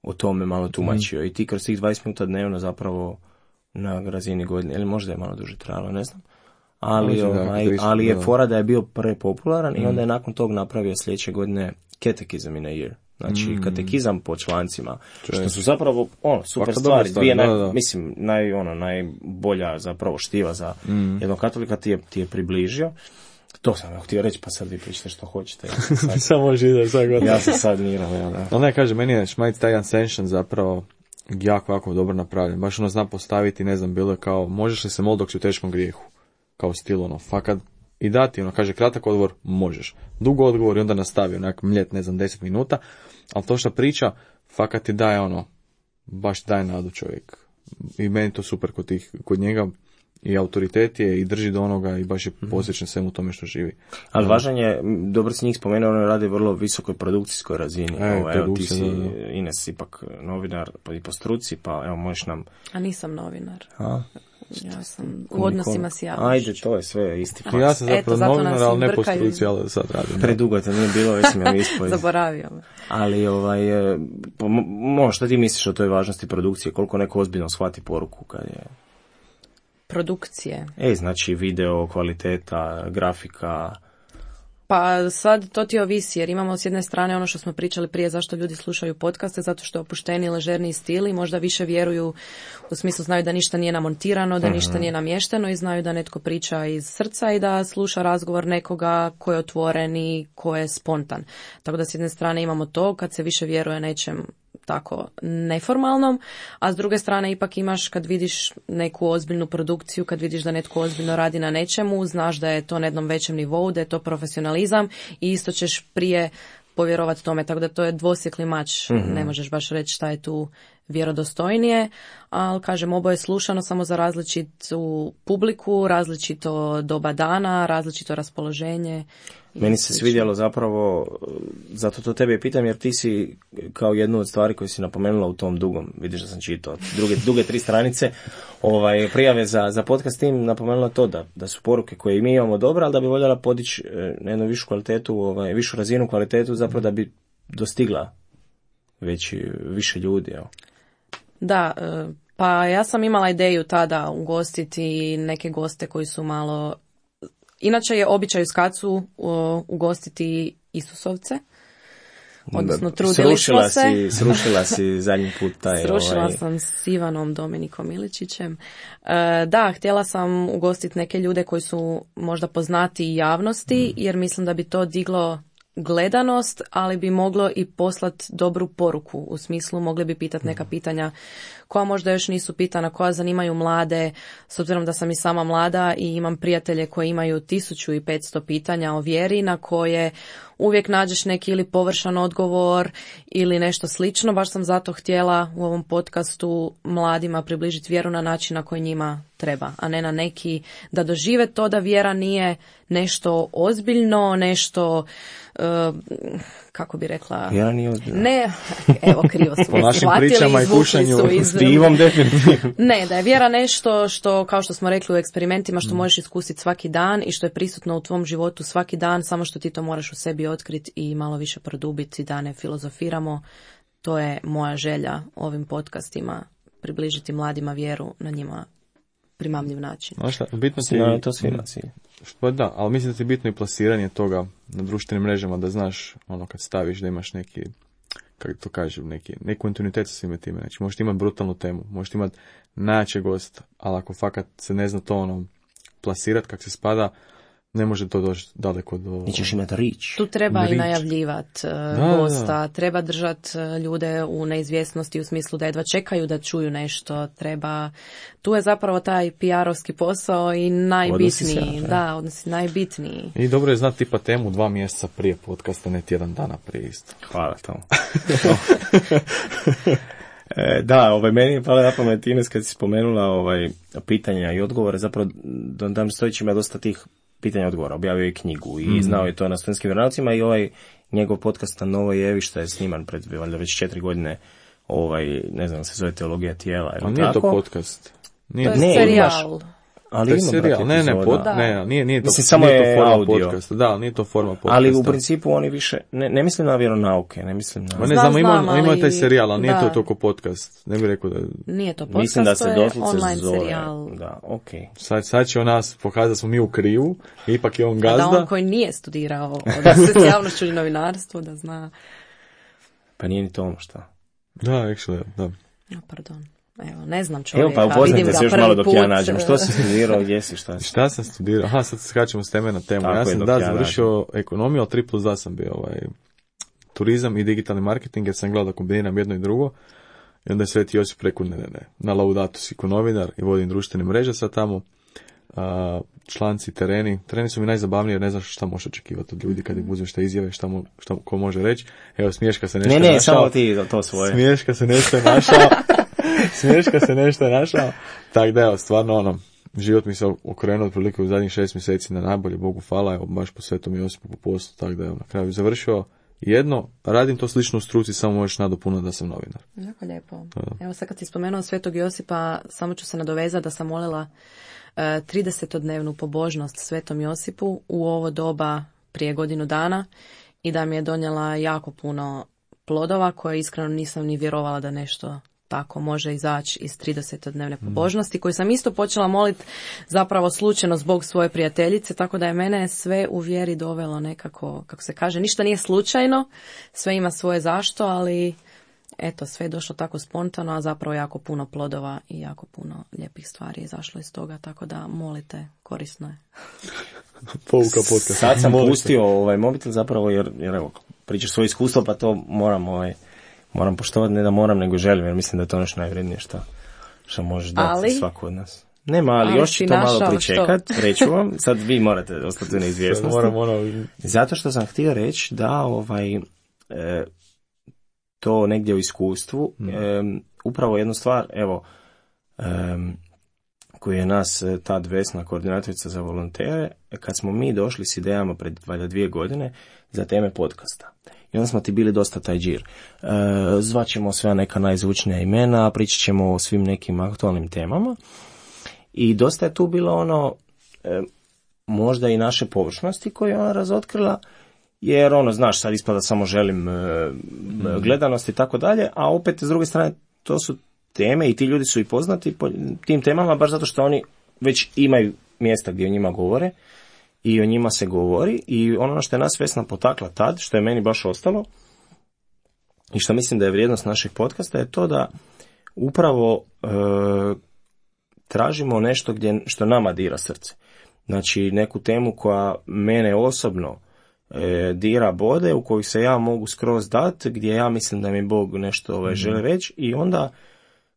o tome malo tumačio mm-hmm. i ti kroz tih dvadeset minuta dnevno zapravo na razini godine, ili možda je malo duže trajalo, ne znam. Ali, ovaj, ali je fora da je bio prepopularan mm. i onda je nakon tog napravio sljedeće godine Catechism in a Year. Znači, mm. katekizam po člancima. Čujem. Što su zapravo ono, super Vaka stvari. Dvije naj, da, da. Mislim, naj, ono, najbolja zapravo štiva za mm. jednog katolika ti je, ti je približio. To sam ja htio reći, pa sad vi pričate što hoćete. Ja sad, samo žide, sad god. Ja sam sad mirao, ja, da. Ali ne, kaže, meni je Šmajc taj Ascension zapravo jako, jako dobro napravljen. Baš ono zna postaviti, ne znam, bilo je kao, možeš li se moliti dok si u teškom grijehu? Kao stil, ono, fakat, i dati, ono, kaže, kratak odgovor, možeš. Dugo odgovor i onda nastavi, onak, mljet, ne znam, deset minuta, ali to što priča, fakat ti daje, ono, baš daje nadu čovjek. I meni to super kod tih, kod njega, i autoritet je, i drži do onoga, i baš je posvećen svemu tome što živi. Ali važan je, dobro si njih spomenuo, ono radi vrlo visokoj produkcijskoj razini. E, ovo, evo, ti si, da, da. Ines, ipak novinar i po struci, pa evo, možeš nam... A nisam novinar. A? Ja sam u odnosima s javnošću. Ajde, to je sve isti fakt. Ja sam zapravo Eto, novinar, ali ne po struci, ali sad radim. Predugo te nije bilo, već sam ja ispoj. Zaboravio me. Ali, ovaj, mo, šta ti misliš o toj važnosti produkcije? Koliko neko ozbiljno shvati poruku kad je... Produkcije. E, znači video, kvaliteta, grafika... Pa sad to ti ovisi, jer imamo s jedne strane ono što smo pričali prije zašto ljudi slušaju podcaste, zato što je opušteniji, ležerniji stil i možda više vjeruju, u smislu znaju da ništa nije namontirano, da ništa nije namješteno i znaju da netko priča iz srca i da sluša razgovor nekoga ko je otvoren i ko je spontan. Tako da s jedne strane imamo to kad se više vjeruje nečem tako neformalnom, a s druge strane ipak imaš kad vidiš neku ozbiljnu produkciju, kad vidiš da netko ozbiljno radi na nečemu, znaš da je to na jednom većem nivou, da je to profesionalizam i isto ćeš prije povjerovati tome, tako da to je dvosjekli mač, mm-hmm. ne možeš baš reći šta je tu vjerodostojnije, ali kažem, oboje je slušano samo za različitu publiku, različito doba dana, različito raspoloženje. Meni se svidjelo zapravo, zato to tebe pitam, jer ti si kao jednu od stvari koju si napomenula u tom dugom, vidiš da sam čitao, druge, duge tri stranice, ovaj, prijave za, za podcast tim, napomenula to da, da su poruke koje mi imamo dobre, ali da bi voljela podići na jednu višu kvalitetu, ovaj, višu razinu kvalitetu, zapravo da bi dostigla veći, više ljudi. Evo. Da, pa ja sam imala ideju tada ugostiti neke goste koji su malo... Inače je običaj u Skacu ugostiti Isusovce, odnosno trudili smo se. Si, srušila si zadnji put taj... Srušila ovaj... sam s Ivanom Dominikom Miličićem. E, da, htjela sam ugostiti neke ljude koji su možda poznati javnosti, mm. jer mislim da bi to diglo gledanost, ali bi moglo i poslati dobru poruku. U smislu, mogli bi pitati neka pitanja koja možda još nisu pitana, koja zanimaju mlade, s obzirom da sam i sama mlada i imam prijatelje koji imaju tisuću i petsto pitanja o vjeri, na koje uvijek nađeš neki ili površan odgovor ili nešto slično. Baš sam zato htjela u ovom podcastu mladima približiti vjeru na način na koji njima treba, a ne na neki da dožive to da vjera nije nešto ozbiljno, nešto uh, kako bi rekla... Vjera nije ozbiljno. Ne, evo krivo smo po našim pričama i kušanju s divom definitivno. Ne, da je vjera nešto što, kao što smo rekli u eksperimentima, što mm. možeš iskusiti svaki dan i što je prisutno u tvom životu svaki dan, samo što ti to moraš u sebi otkriti i malo više produbiti, da ne filozofiramo. To je moja želja ovim podcastima, približiti mladima vjeru na njima primamljiv način. Znaš šta, bitno ti... No, to svima cilj. Pa da, ali mislim da ti bitno i plasiranje toga na društvenim mrežama, da znaš, ono, kad staviš da imaš neki, kako to kažem, neki, neki kontinuitet sa svime time. Znači, možeš imati brutalnu temu, možeš imati najjačeg gosta, ali ako fakat se ne zna to ono plasirati kak se spada, ne može to doći daleko do... Nećeš imati rič. Tu treba rič. I najavljivati uh, gosta, da. Treba držati ljude u neizvjesnosti u smislu da jedva čekaju da čuju nešto, treba... Tu je zapravo taj P R-ovski posao i najbitniji. Se, da, odnosi najbitniji. I dobro je znati tipa temu dva mjeseca prije podcasta, ne tjedan dana prije isto. Hvala tomu. E, da, ovaj, meni je pala na pamet Ines kad si spomenula ovaj, pitanja i odgovore, zapravo Don Stojić ima dosta tih pitanja i odgovora, objavio je knjigu i mm. znao je to na studentskim vjeronaucima i ovaj njegov podcast na Novoj Evi što je sniman pred valjda već četiri godine, ovaj, ne znam, se zove Teologija tijela. Ali nije tako? To podcast. Nije to je ne, serijal. Imaš, ali to je serijal, ne, ne, pod, ne, nije, nije to, mislim, samo nije je to forma audio. Podcasta. Da, nije to forma podcasta. Ali u principu oni više, ne, ne mislim na vjeronauke, ne mislim na... Ma ne znam, ima, ima taj serijal, ali nije da. to toliko podcast. Ne bih rekao da... Nije to podcast, mislim da se to je online zove, serijal. Da, okej. Okay. Sad, sad će on nas pokazati da smo mi u krivu, ipak je on gazda. Da on koji nije studirao da se javnošću i novinarstvo, da zna... Pa nije ni to ono šta. Da, actually, da. No, pardon. Evo, ne znam čovjeka, Evo, pa vidim ga se još prvi malo dok put. ja nađem. Što si studirao, gdje si, šta si? Šta sam studirao? Aha, sad skačemo s teme na temu. Tako ja sam da završio nađem. ekonomiju, ali tri plus dva sam bio ovaj, turizam i digitalni marketing, jer sam gledao da kombiniram jedno i drugo. I onda je Sveti Josip rekao, ne, ne, ne, na Laudatu si ko novinar i vodim društvene mreže sad tamo. A, članci, tereni. Tereni su mi najzabavniji jer ne znaš šta možeš očekivati od ljudi kad ih uzmeš šta izjave, šta, mu, šta ko može reći. Evo, Smješka se nešto ne, ne, našao. samo ti to svoje. Smješka se nešto našao. Smješka se nešto našao. Tako da evo, stvarno ono, život mi se okrenuo otprilike u zadnjih šest mjeseci na najbolje, Bogu hvala, evo, baš po Svetom Josipu po poslu, tako da evo, na kraju završio jedno, radim to slično u struci, samo možeš nadopunati da sam novinar. Jako lijepo. Da. Evo sad kad si spomenuo Svetog Josipa, samo ću se nadovezati da sam molila tridesetodnevnu pobožnost Svetom Josipu u ovo doba prije godinu dana i da mi je donijela jako puno plodova koje iskreno nisam ni vjerovala da nešto tako može izaći iz tridesetodnevne pobožnosti, koju sam isto počela moliti zapravo slučajno zbog svoje prijateljice, tako da je mene sve u vjeri dovelo nekako, kako se kaže, ništa nije slučajno, sve ima svoje zašto, ali eto, sve je došlo tako spontano, a zapravo jako puno plodova i jako puno lijepih stvari je izašlo iz toga, tako da molite, korisno je. Pouka podcast. Sad sam pustio ovaj mobitel zapravo, jer, jer evo, pričaš svoje iskustvo, pa to moram ovaj, moram poštovati, ne da moram, nego želim, jer mislim da je to nešto najvrednije što, što možeš dati svako od nas. Nema, ali, ali još ću to malo pričekat, reću vam, sad vi morate ostati neizvjesnosti. Moram, moram. Zato što sam htio reći da ovaj, e, to negdje u iskustvu. Mm. E, upravo jednu stvar, evo, e, koju je nas tad Vesna, koordinatorica za volontere, kad smo mi došli s idejama pred valjda dvije godine za teme podcasta. I onda smo ti bili dosta taj džir. E, zvaćemo sve neka najzvučnija imena, pričat ćemo o svim nekim aktualnim temama. I dosta je tu bilo ono, e, možda i naše površnosti koje je ona razotkrila, jer ono, znaš, sad ispada samo želim e, mm. gledanost i tako dalje, a opet s druge strane to su teme i ti ljudi su i poznati po tim temama baš zato što oni već imaju mjesta gdje o njima govore i o njima se govori i ono što je nas Vesna potakla tad, što je meni baš ostalo i što mislim da je vrijednost našeg podcasta je to da upravo e, tražimo nešto gdje, što nama dira srce. Znači neku temu koja mene osobno e, dira bode, u koju se ja mogu skroz dati, gdje ja mislim da mi Bog nešto ovaj, mm. želi reći i onda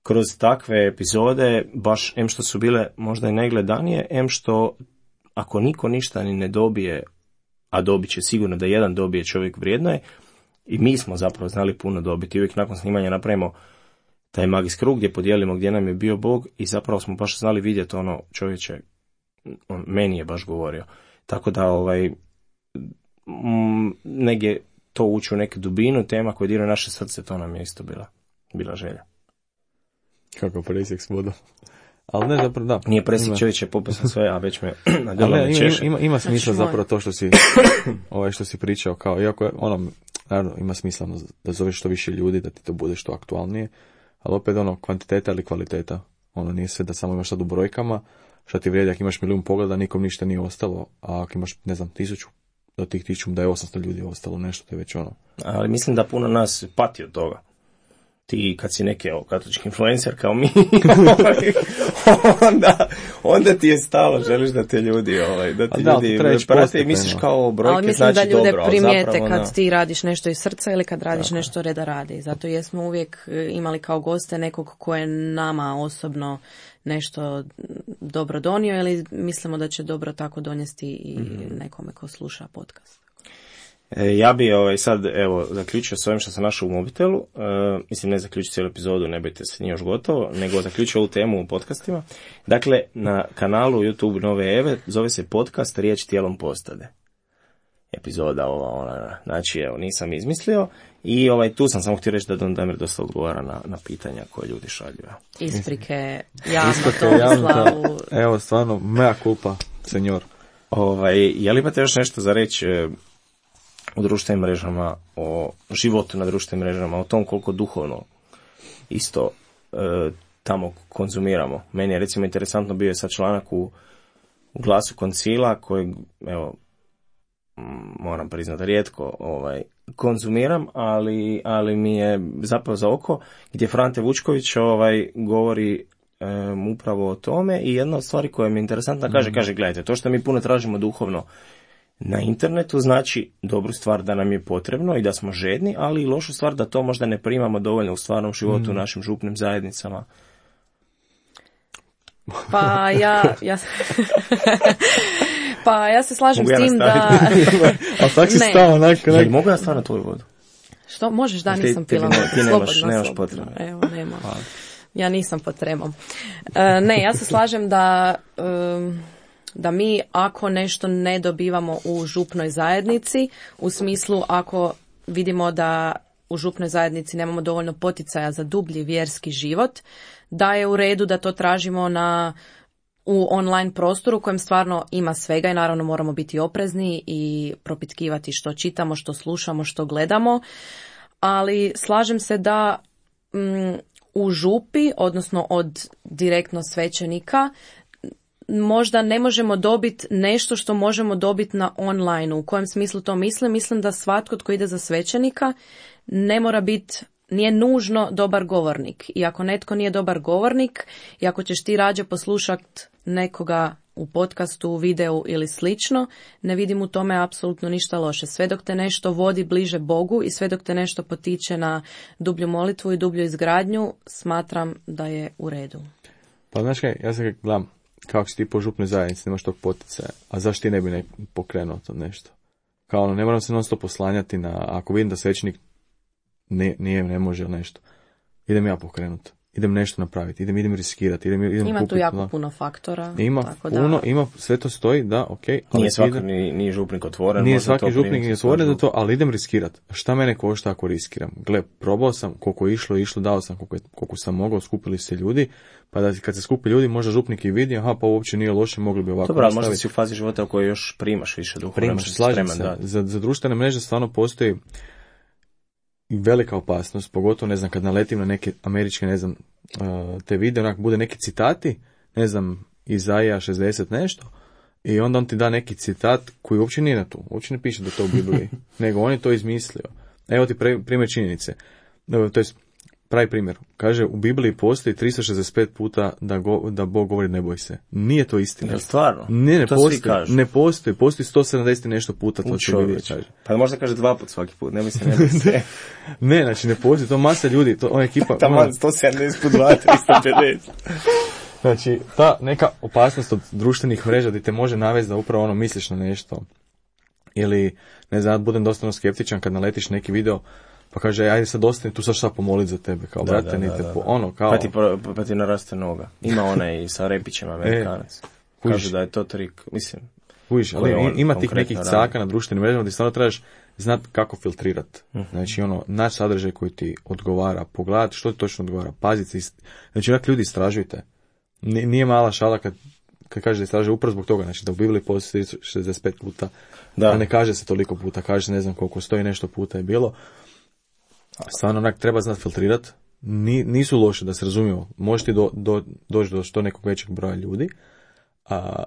kroz takve epizode, baš em što su bile možda i najgledanije, em što ako niko ništa ni ne dobije, a dobit će sigurno da jedan dobije čovjek vrijedno je, i mi smo zapravo znali puno dobiti. Uvijek nakon snimanja napravimo taj magijski krug gdje podijelimo gdje nam je bio Bog i zapravo smo baš znali vidjeti ono čovječe, on, meni je baš govorio. Tako da ovaj, m, negdje to ući u neku dubinu, tema koja dira naše srce, to nam je isto bila, bila želja. Kako presjek s vodom. Ali ne, zapravo, da. Nije presjek čovječe, popio sam sve, a već me nadjelo me ima, češe. Ima, ima smisla zapravo to što si, ovaj što si pričao, kao, iako je, ono, naravno, ima smisla da zoveš što više ljudi, da ti to bude što aktualnije, ali opet, ono, kvantiteta ili kvaliteta. Ono, nije sve da samo imaš sad u brojkama, što ti vrijedi, ako imaš milijun pogleda, nikom ništa nije ostalo, a ako imaš, ne znam, tisuću, do tih tisuću da je osamsto ljudi ostalo, nešto, to je već ono. Ali mislim da puno nas pati od toga. Ti kad si neki evo, katolički influencer kao mi, onda, onda ti je stalo, želiš da te ljudi, ovaj, da ti da, ljudi prate i misliš kao brojke, ali mislim znači da ljude dobro, primijete zapravo, kad na... ti radiš nešto iz srca ili kad radiš Tako. nešto reda radi. Zato jesmo uvijek imali kao goste nekog ko je nama osobno nešto dobro donio ili mislimo da će dobro tako donijeti i mm-hmm. nekome ko sluša podcast. E, ja bi ovaj, sad evo zaključio s ovim što sam našao u mobitelu, e, mislim ne zaključio cijelu epizodu, ne bojte se, nije još gotovo, nego zaključio ovu temu u podcastima. Dakle, na kanalu YouTube Nove Eve zove se podcast Riječ tijelom postade. Epizoda ova, ona, znači evo, nisam izmislio i ovaj, tu sam samo htio reći da Don Damir dosta odgovara na, na pitanja koje ljudi šalju. Isprike, javno Tomislavu. Evo, stvarno, mea culpa, senjor. Ovaj, je li imate još nešto za reći o društvenim mrežama, o životu na društvenim mrežama, o tom koliko duhovno isto e, tamo konzumiramo. Meni je recimo interesantno bio je sad članak u, u Glasu Koncila kojeg, evo, moram priznati rijetko ovaj, konzumiram, ali, ali mi je zapao za oko, gdje Frante Vučković ovaj, govori um, upravo o tome i jedna od stvari koja mi je interesantna kaže, kaže, gledajte, to što mi puno tražimo duhovno na internetu znači dobru stvar da nam je potrebno i da smo žedni, ali i lošu stvar da to možda ne primamo dovoljno u stvarnom životu, mm. u našim župnim zajednicama. Pa ja... ja... Pa ja se slažem s tim da... A tak si stao onako... Ja, mogu ja stvar na tvoju vodu? Što? Možeš, da, nisam ti, pila. Ti, ti nemaš, slobodno, nemaš slobodno. potrebe. Evo, nema. Ja nisam pod tremom. E, ne, ja se slažem da... Um, da mi ako nešto ne dobivamo u župnoj zajednici, u smislu ako vidimo da u župnoj zajednici nemamo dovoljno poticaja za dublji vjerski život, da je u redu da to tražimo na u online prostoru u kojem stvarno ima svega i naravno moramo biti oprezni i propitkivati što čitamo, što slušamo, što gledamo, ali slažem se da mm, u župi, odnosno od direktno svećenika, možda ne možemo dobiti nešto što možemo dobiti na online. U kojem smislu to mislim? Mislim da svatko tko ide za svećenika ne mora biti, nije nužno dobar govornik. I ako netko nije dobar govornik, i ako ćeš ti rađe poslušati nekoga u podcastu, u videu ili slično, ne vidim u tome apsolutno ništa loše. Sve dok te nešto vodi bliže Bogu i sve dok te nešto potiče na dublju molitvu i dublju izgradnju, smatram da je u redu. Pa znaš kaj, ja se gledam, kako si ti po župnoj zajednici, nemaš tog poticaja, a zašto ti ne bi ne pokrenuo to nešto? Kao ono, ne moram se non stop oslanjati na, ako vidim da svećenik ne, nije, ne može nešto, idem ja pokrenut. Idem nešto napraviti, idem, idem riskirati, idem, idem ima kupiti. Tu jako da. puno faktora. Ima tako puno, da... ima, sve to stoji, da, ok. Nije svaki ni, ni župnik otvoren. Nije svaki župnik ni otvoren za to, ali idem riskirati. Šta mene košta ako riskiram? Gle, probao sam, koliko je išlo, išlo, dao sam koliko, je, koliko sam mogao, skupili se ljudi, pa da kad se skupi ljudi, možda župnik i vidi, aha, pa uopće nije loše, mogli bi ovako. Dobro, ali možda si u fazi života u kojoj još primaš više duha. Primaš, slažem se. Za, za društvene mreže stvarno postoji velika opasnost, pogotovo, ne znam, kad naletim na neke američke, ne znam, te video, onak, bude neki citati, ne znam, Izaija šezdeset nešto, i onda on ti da neki citat koji uopće nije na tu, uopće ne piše da to u Bibliji, nego on je to izmislio. Evo ti pre, primjer činjenice, to je pravi primjer. Kaže, u Bibliji postoji tristo šezdeset pet puta da, go, da Bog govori ne boj se. Nije to istina. Jel stvarno? Ne, ne to postoji, ne postoji, postoji sto sedamdeset nešto puta, to se vidi, kaže. Pa možda kaže dva put svaki put, ne mislim, ne mislim. Ne, znači ne postoji, to masa ljudi, to ona ekipa... Taman sto sedamdeset put dva, tristo pedeset. Znači, ta neka opasnost od društvenih mreža gdje te može navesti da upravo ono misliš na nešto. Ili, ne znam, budem dosta skeptičan kad naletiš neki video, pa kaže, ajde sad ostani tu, sad šta pomolit za tebe, kao, da, brate, da, nite, da, da. Po, ono, kao... Pa ti, pa, pa ti naraste noga. Ima onaj i sa Repićem Amerikanac. E, Kaže da je to trik, mislim... Uviš, ali on, ima tih nekih radi. caka na društvenim mrežama gdje stvarno trebaš znati kako filtrirati. Uh-huh. Znači, ono, naći sadržaj koji ti odgovara, pogledati što ti točno odgovara, paziti. Znači, onak ljudi istražujte. Nije mala šala kad, kad kaže da istražuje upravo zbog toga, znači da u Bibliji postoji šezdeset pet puta, da. A ne kaže se toliko puta, kaže se ne znam koliko, stoji nešto puta je bilo. Stvarno onak treba znati filtrirati. Ni, nisu loše, da se razumijemo. Možete do, do, doći do što nekog većeg broja ljudi, a,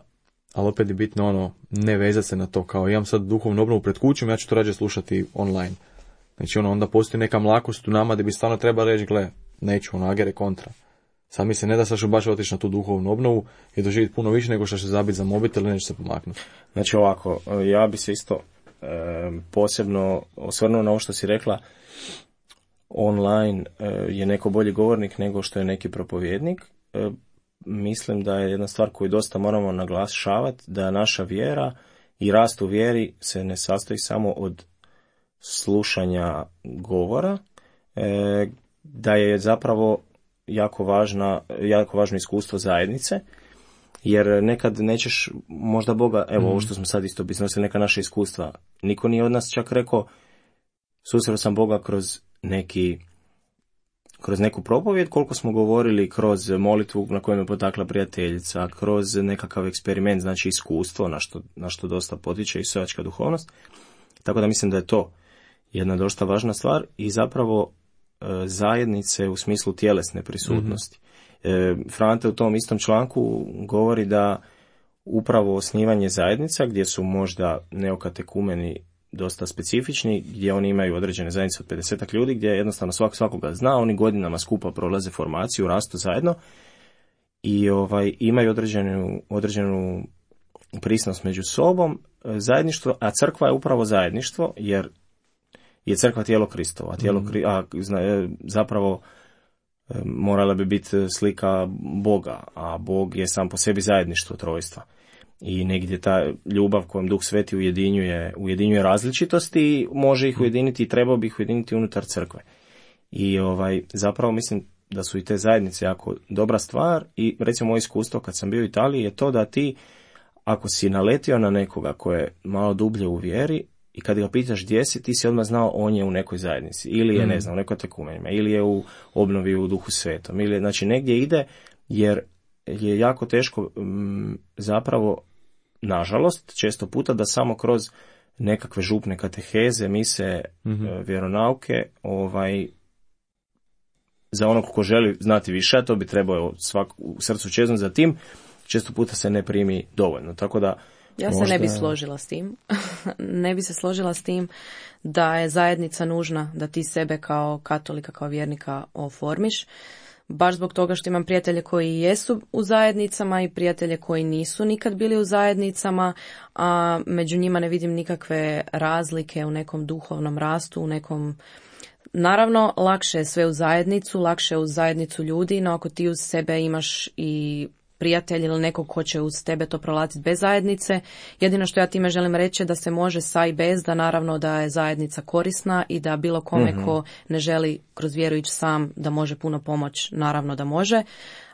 ali opet je bitno ono, ne vezati se na to, kao imam sad duhovnu obnovu pred kućom, ja ću to rađe slušati online. Znači ono, onda postoji neka mlakost u nama gdje bi stvarno treba reći, gle, neću, ono, agere kontra. Sad mi se ne da sad što baš otići na tu duhovnu obnovu i doživjeti puno više nego što će zabiti za mobitel i neće se pomaknuti. Znači ovako, ja bi se isto e, posebno osvrnuo na ovo što si rekla, online e, je neko bolji govornik nego što je neki propovjednik. E, mislim da je jedna stvar koju dosta moramo naglašavati, da naša vjera i rast u vjeri se ne sastoji samo od slušanja govora, e, da je zapravo jako važna, jako važno iskustvo zajednice, jer nekad nećeš možda Boga, evo mm. ovo što smo sad isto iznosili, neka naša iskustva. Niko nije od nas čak rekao, susreo sam Boga kroz neki kroz neku propovjed, koliko smo govorili kroz molitvu na kojoj me potakla prijateljica, kroz nekakav eksperiment, znači iskustvo, na što, na što dosta potiče i sojačka duhovnost. Tako da mislim da je to jedna dosta važna stvar i zapravo zajednice u smislu tjelesne prisutnosti. Mm-hmm. E, Frante u tom istom članku govori da upravo osnivanje zajednica, gdje su možda neokatekumeni dosta specifični, gdje oni imaju određene zajednice od pedesetak ljudi, gdje jednostavno svak svakoga zna, oni godinama skupa prolaze formaciju, rastu zajedno i ovaj, imaju određenu, određenu prisnost među sobom, zajedništvo, a crkva je upravo zajedništvo, jer je crkva tijelo Kristovo, a tijelo, mm. a, zapravo morala bi biti slika Boga, a Bog je sam po sebi zajedništvo trojstva. I negdje ta ljubav kojom Duh Sveti ujedinjuje, ujedinjuje različitosti, može ih ujediniti i trebao bi ih ujediniti unutar crkve. I ovaj, zapravo mislim da su i te zajednice jako dobra stvar i recimo moje iskustvo kad sam bio u Italiji je to da ti, ako si naletio na nekoga ko je malo dublje u vjeri, i kad ga pitaš gdje si, ti si odmah znao on je u nekoj zajednici, ili je, mm. ne znam, u nekoj tekumenima, ili je u obnovi u Duhu Svetom, ili znači negdje ide, jer je jako teško m, zapravo, nažalost, često puta da samo kroz nekakve župne kateheze, mise, mm-hmm. e, vjeronauke, ovaj, za onog ko želi znati više, a to bi trebao svak, u srcu čeznuti za tim, često puta se ne primi dovoljno, tako da ja se možda... ne bi složila s tim. ne bi se složila s tim da je zajednica nužna da ti sebe kao katolika, kao vjernika oformiš. Baš zbog toga što imam prijatelje koji jesu u zajednicama i prijatelje koji nisu nikad bili u zajednicama, a među njima ne vidim nikakve razlike u nekom duhovnom rastu, u nekom... Naravno, lakše je sve u zajednicu, lakše je u zajednicu ljudi, no ako ti uz sebe imaš i prijatelj ili nekog ko će uz tebe to prolaziti bez zajednice. Jedino što ja time želim reći je da se može sa i bez, da naravno da je zajednica korisna i da bilo kome mm-hmm. ko ne želi kroz vjeru ići sam, da može puno pomoć, naravno da može.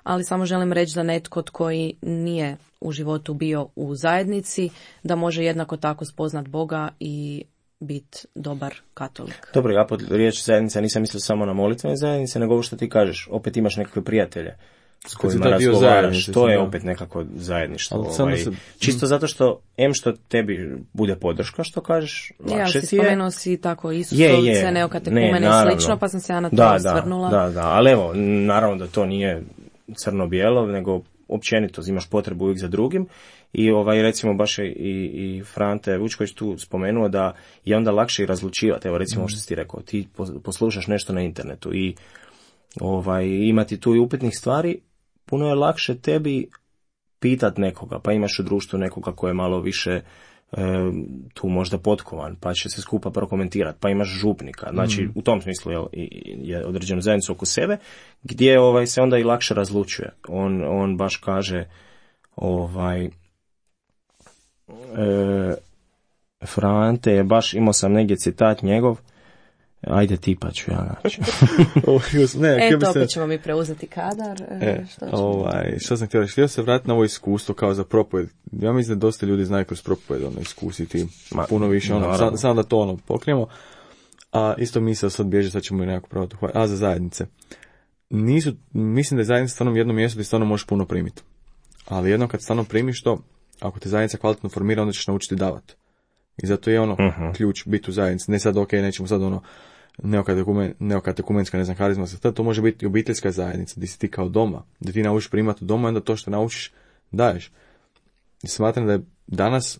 Ali samo želim reći da netko koji nije u životu bio u zajednici, da može jednako tako spoznat Boga i biti dobar katolik. Dobro, ja pod riječ zajednica nisam mislio samo na molitvene zajednice, nego ovo što ti kažeš, opet imaš nekakve prijatelje s kojima razgovaraš, to je opet nekako zajedništvo. Ovaj, se... Čisto zato što, em što tebi bude podrška, što kažeš, lakše ja, ti je. Ja, spomenuo si tako Isusovice, neokatekumene i slično, pa sam se ja na to da, osvrnula. Da, da, da, ali evo, naravno da to nije crno-bijelo, nego općenito imaš potrebu uvijek za drugim. I ovaj, recimo baš je i, i Frante Vučković tu spomenuo da je onda lakše i razlučivati. Evo recimo mm. što si ti rekao, ti poslušaš nešto na internetu i ovaj, imati tu i upitnih stvari, puno je lakše tebi pitat nekoga, pa imaš u društvu nekoga ko je malo više e, tu možda potkovan, pa će se skupa prokomentirati, pa imaš župnika, znači mm. u tom smislu je, je određenu zajednicu oko sebe, gdje ovaj, se onda i lakše razlučuje. On, on baš kaže ovaj E, Frante je baš, imao sam negdje citat njegov, ajde ti pa ću ja naći. e, to opet ćemo mi preuzeti kadar. E, što, ovaj, što sam htio reći, htio se vratiti na ovo iskustvo kao za propoved. Ja mislim da dosta ljudi znaju kroz propoved ono, iskusiti Ma, puno više, ono, samo sam da to ono pokrijemo. A isto mi se sad bježe, sad ćemo i nekako pravati. A za zajednice. Nisu, mislim da je zajednica stvarno jedno mjesto gdje stvarno možeš puno primiti. Ali jedno kad stvarno primiš to, ako te zajednica kvalitetno formira, onda ćeš naučiti davati. I zato je ono uh-huh. ključ biti u zajednici. Ne sad, ok, nećemo sad ono neokatekumen, neokatekumenska, ne znam, karizma, sad to može biti obiteljska zajednica, gdje si ti kao doma, gdje ti naučiš primati doma, onda to što naučiš daješ. I smatram da je danas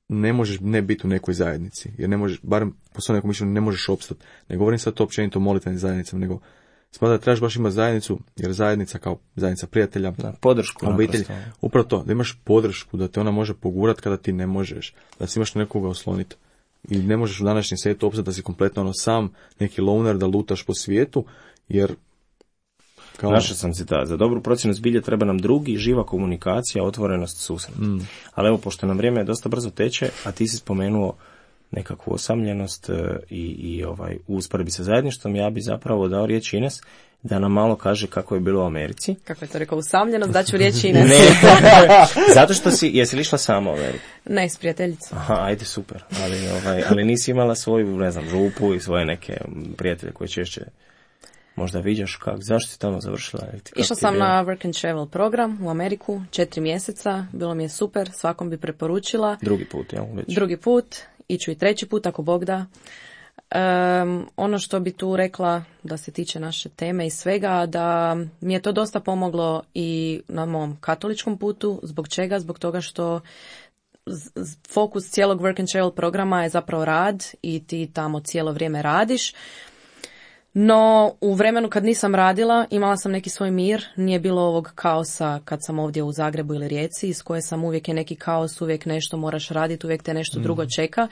ne možeš ne biti u nekoj zajednici, jer ne možeš, barem po svojom nekom mišljenju, ne možeš opstati. Ne govorim sad to općenito o molitvenim zajednicama, nego smatram da trebaš baš imati zajednicu, jer zajednica kao zajednica prijatelja, da, podršku, obitelj, upravo to, da imaš podršku, da te ona može pogurat kada ti ne možeš, da si imaš nekoga osloniti. I ne možeš u današnjem svijetu opstati da si kompletno ono sam, neki loner, da lutaš po svijetu, jer kao... Našao sam citat, za dobru procjenu zbilje treba nam drugi, živa komunikacija, otvorenost, susret. Mm. Ali evo, pošto nam vrijeme dosta brzo teče, a ti si spomenuo nekakvu osamljenost i, i ovaj, u usporedbi sa zajedništvom, ja bi zapravo dao riječ Ines da nam malo kaže kako je bilo u Americi. Kako je to rekao, usamljenost, daću riječ Ines. Ne, zato što si, jesi li išla sama u Ameriku? Ne, s prijateljicom. Aha, ajde, super, ali, ovaj, ali nisi imala svoju, ne znam, župu i svoje neke prijatelje koje češće možda viđaš kako, zašto si tamo završila? Išla sam na Work and Travel program u Ameriku, četiri mjeseca, bilo mi je super, svakom bi preporučila. Drugi put, jel? Već. Drugi put, iću i treći put ako Bog da. Um, ono što bi tu rekla da se tiče naše teme i svega, da mi je to dosta pomoglo i na mom katoličkom putu. Zbog čega? Zbog toga što fokus cijelog Work and Travel programa je zapravo rad i ti tamo cijelo vrijeme radiš. No, u vremenu kad nisam radila, imala sam neki svoj mir, nije bilo ovog kaosa kad sam ovdje u Zagrebu ili Rijeci, iz koje sam uvijek je neki kaos, uvijek nešto moraš raditi, uvijek te nešto mm. drugo čeka.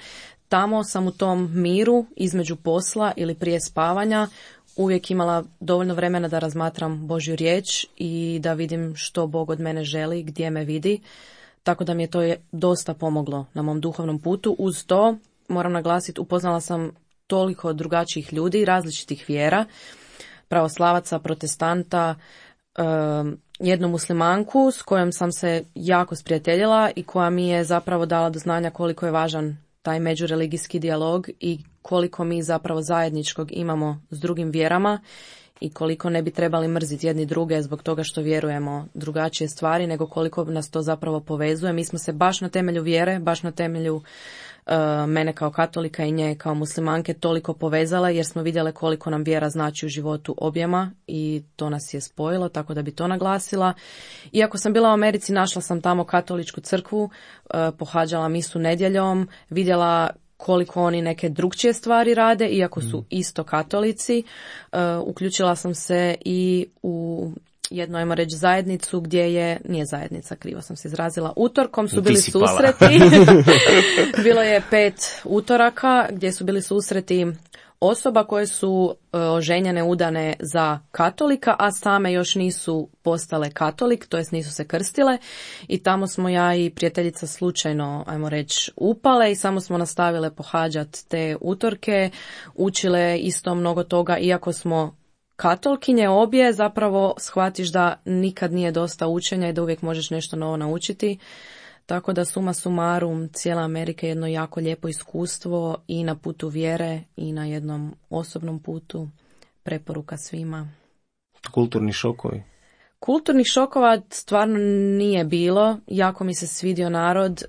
Tamo sam u tom miru, između posla ili prije spavanja, uvijek imala dovoljno vremena da razmatram Božju riječ i da vidim što Bog od mene želi, gdje me vidi. Tako da mi je to je dosta pomoglo na mom duhovnom putu. Uz to, moram naglasiti, upoznala sam toliko drugačijih ljudi, različitih vjera, pravoslavaca, protestanta, um, jednu muslimanku s kojom sam se jako sprijateljila i koja mi je zapravo dala do znanja koliko je važan taj međureligijski dijalog i koliko mi zapravo zajedničkog imamo s drugim vjerama i koliko ne bi trebali mrziti jedni druge zbog toga što vjerujemo drugačije stvari, nego koliko nas to zapravo povezuje. Mi smo se baš na temelju vjere, baš na temelju uh, mene kao katolika i nje kao muslimanke toliko povezale jer smo vidjele koliko nam vjera znači u životu objema i to nas je spojilo, tako da bi to naglasila. Iako sam bila u Americi, našla sam tamo katoličku crkvu, uh, pohađala misu nedjeljom, vidjela koliko oni neke drugčije stvari rade, iako su isto katolici. Uh, uključila sam se i u jednu, ajmo reći, zajednicu gdje je, nije zajednica, krivo sam se izrazila, utorkom su bili susreti. Bilo je pet utoraka gdje su bili susreti osoba koje su e, oženjene, udane za katolika, a same još nisu postale katolik, to jest nisu se krstile, i tamo smo ja i prijateljica slučajno, ajmo reći, upale i samo smo nastavile pohađati te utorke, učile isto mnogo toga, iako smo katolkinje obje, zapravo shvatiš da nikad nije dosta učenja i da uvijek možeš nešto novo naučiti. Tako da suma sumarum, cijela Amerika je jedno jako lijepo iskustvo i na putu vjere i na jednom osobnom putu. Preporuka svima. Kulturni šokovi? Kulturnih šokova stvarno nije bilo. Jako mi se svidio narod.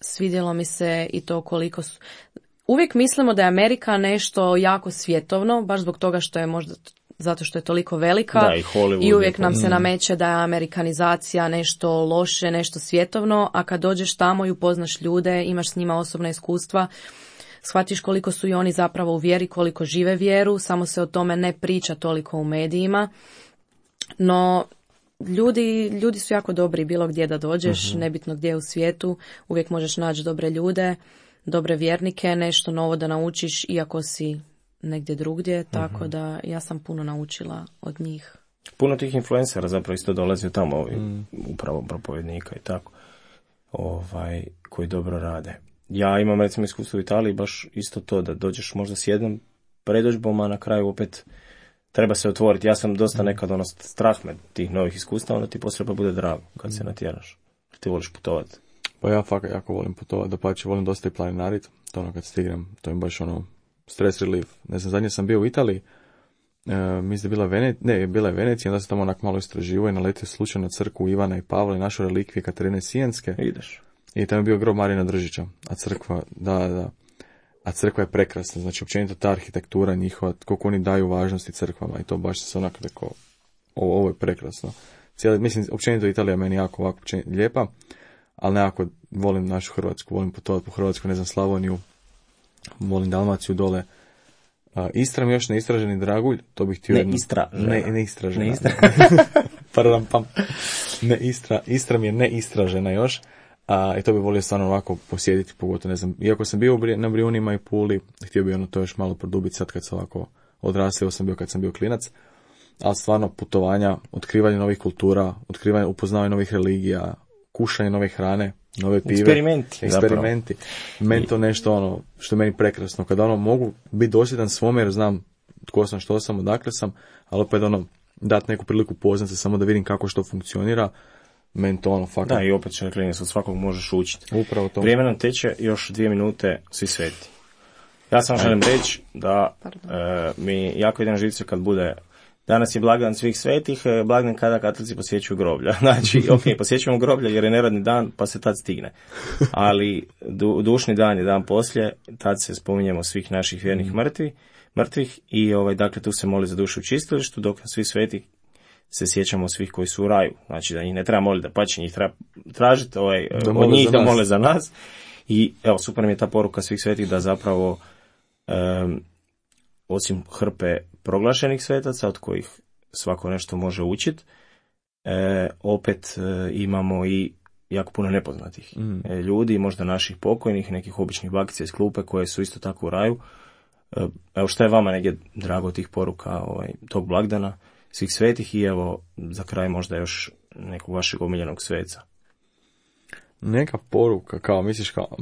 Svidjelo mi se i to koliko su... Uvijek mislimo da je Amerika nešto jako svjetovno, baš zbog toga što je možda... zato što je toliko velika. Da, i Hollywood. I uvijek nam se nameće da je amerikanizacija nešto loše, nešto svjetovno, a kad dođeš tamo i upoznaš ljude, imaš s njima osobna iskustva, shvatiš koliko su i oni zapravo u vjeri, koliko žive vjeru, samo se o tome ne priča toliko u medijima. No, ljudi, ljudi su jako dobri bilo gdje da dođeš, uh-huh. nebitno gdje u svijetu, uvijek možeš naći dobre ljude, dobre vjernike, nešto novo da naučiš, iako si negdje drugdje, tako uh-huh. da ja sam puno naučila od njih. Puno tih influencera zapravo isto dolazi tamo, ovi, mm. upravo propovednika i tako, ovaj, koji dobro rade. Ja imam recimo iskustvo u Italiji, baš isto to, da dođeš možda s jednom predodžbom, a na kraju opet treba se otvoriti. Ja sam dosta nekad ono strah me tih novih iskustava, onda ti poslije pa bude drago kad mm. se natjeraš. Ti voliš putovati. Pa ja fakat jako volim putovati, da pače volim dosta i planinarit, to ono kad stignem, to je baš ono stress relief. Ne znam, zadnje sam bio u Italiji, e, mislim da je bila Venecija, ne, bila je Venecija, onda sam tamo onak malo istraživao i naletio slučajno crkvu Ivana i Pavla i našu relikvije Katarine Sijenske. Ideš. I tamo je bio grob Marina Držića, a crkva, da, da, a crkva je prekrasna, znači općenito ta arhitektura njihova, koliko oni daju važnosti crkvama i to baš se onako rekao, ovo, ovo je prekrasno. Cijeli, mislim, općenito Italija meni jako ovako lijepa, ali nekako volim našu Hrvatsku, volim putovati po Hrvatsku, ne znam, Slavoniju, volim Dalmaciju dole. Uh, Istra mi još neistraženi dragulj, to bih htio... Ne jedno... istražena. Ne, neistražena. Ne istra... Pardon, pam. Ne istra... Istra mi je neistražena još, a, i to bih volio stvarno ovako posjediti, pogotovo, ne znam, iako sam bio na Brijunima i Puli, htio bih ono to još malo produbiti sad kad sam ovako odrastao, sam bio kad sam bio klinac, ali stvarno putovanja, otkrivanje novih kultura, otkrivanje, upoznavanje novih religija, kušanje nove hrane, nove pive. Eksperimenti. Eksperimenti. Meni to nešto ono, što je meni prekrasno. Kada ono mogu biti dosljedan svome jer znam tko sam, što sam, odakle sam, ali opet ono, dati neku priliku poznat se samo da vidim kako što funkcionira, meni to ono, fakat. Da, i opet će klinac, od svakog možeš učiti. Upravo to. Vrijeme nam teče, još dvije minute, svi sveti. Ja sam želim reći da e, mi jako ide na živce kad bude... Danas je blagdan svih svetih, blagdan kada katolici posjećuju groblja. Znači, ok, posjećujemo groblja jer je neradni dan, pa se tad stigne. Ali du, dušni dan je dan poslije, tad se spominjemo svih naših vjernih mrtvi, mrtvih i ovaj, dakle tu se moli za dušu u čistilištu, dok svi sveti se sjećamo svih koji su u raju. Znači da njih ne treba moliti, da pače njih treba tražiti ovaj, od njih da mole za nas. I evo, super mi je ta poruka svih svetih da zapravo um, osim hrpe proglašenih svetaca, od kojih svako nešto može učiti, e, opet e, imamo i jako puno nepoznatih mm. e, ljudi, možda naših pokojnih, nekih običnih bakica iz klupe koje su isto tako u raju. E, evo šta je vama negdje drago tih poruka ovaj, tog blagdana, svih svetih i evo za kraj možda još nekog vašeg omiljenog sveca. Neka poruka, kao misliš kao...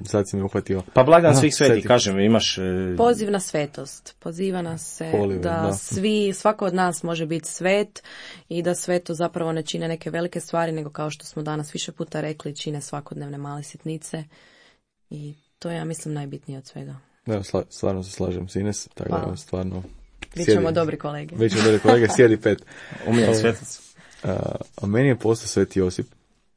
Sad si mi uhvatio. Pa blagdan svih svetih, kažem, imaš... E... Poziv na svetost. Poziva nas se Polive, da, da svi, svako od nas može biti svet i da sveto zapravo ne čine neke velike stvari, nego kao što smo danas više puta rekli, čine svakodnevne male sitnice i to je, ja mislim, najbitnije od svega. Da, sla, stvarno se slažem s Ines, tako pa. da stvarno... Bićemo dobri kolege. Bićemo dobri kolege, sjedi pet. Umiljen svetac. A, a meni je postao Sveti Josip,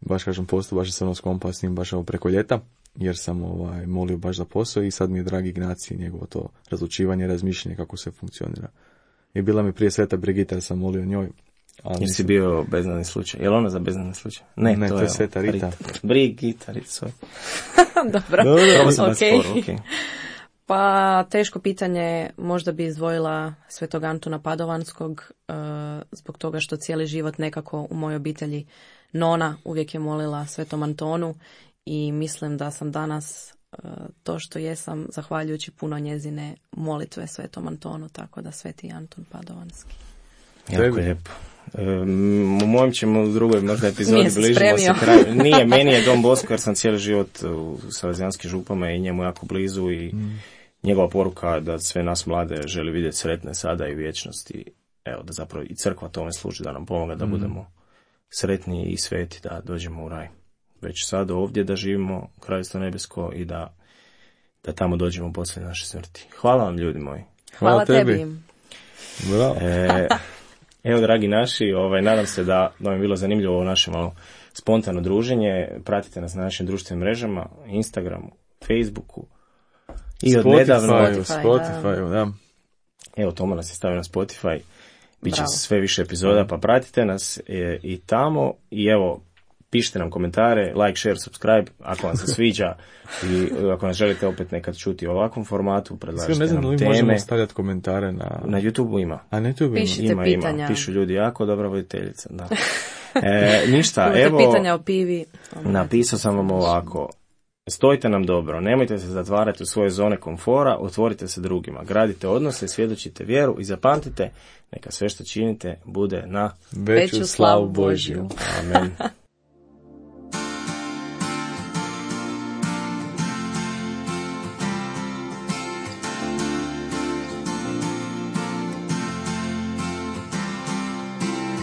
baš kažem postao, baš sam ono skompa s njim baš ovo preko ljeta, jer sam ovaj, molio baš za posao i sad mi je dragi Ignacij, njegovo to razlučivanje, razmišljanje kako sve funkcionira. I bila mi prije Sveta Brigita, jer sam molio njoj. Ali Jesi bio beznadni slučaj? Je li ona za beznadni slučaj? Ne, ne to, to je Sveta Rita. Rita. Brigita, Rita, svoj. Dobro, Dobro. okay. Sporo, okay. Pa teško pitanje, možda bi izdvojila Svetog Antuna Padovanskog, uh, zbog toga što cijeli život nekako u mojoj obitelji nona uvijek je molila Svetom Antonu i mislim da sam danas to što jesam zahvaljujući puno njezine molitve Svetom Antonu, tako da Sveti Anton Padovanski. Jako lijepo. Um, u mojem ćemo u drugoj možda epizodi bližimo spremio. se kraju. Nije, meni je Don Bosco jer sam cijeli život u Salezijanskim župama i njemu jako blizu i mm. njegova poruka da sve nas mlade želi vidjeti sretne sada i vječnosti. Evo, da zapravo i crkva tome služi, da nam pomoga da mm. budemo sretni i sveti, da dođemo u raj. Već sad ovdje da živimo Kraljevstvo nebesko i da, da tamo dođemo poslije naše smrti. Hvala vam, ljudi moji. Hvala, Hvala tebi. tebi. Bravo. E, evo, dragi naši, ovaj, nadam se da, da vam je bilo zanimljivo ovo naše malo spontano druženje. Pratite nas na našim društvenim mrežama, Instagramu, Facebooku i od nedavno Spotify, Spotify, da. Evo, Toma nas je stavio na Spotify. Biće sve više epizoda, pa pratite nas e, i tamo. I evo, pišite nam komentare, like, share, subscribe, ako vam se sviđa i ako nas želite opet nekad čuti u ovakvom formatu, predlažite ne znam, nam li teme. Možemo stavljati komentare na... Na YouTube ima. A na YouTube Pišite ima, pitanja. ima. Pišu ljudi, jako dobra voditeljica, da. E, ništa, Imate evo, pitanja o pivi. napisao sam vam ovako. Stojite nam dobro, nemojte se zatvarati u svoje zone komfora, otvorite se drugima, gradite odnose, svjedočite vjeru i zapamtite, neka sve što činite bude na veću slavu Božju. Amen.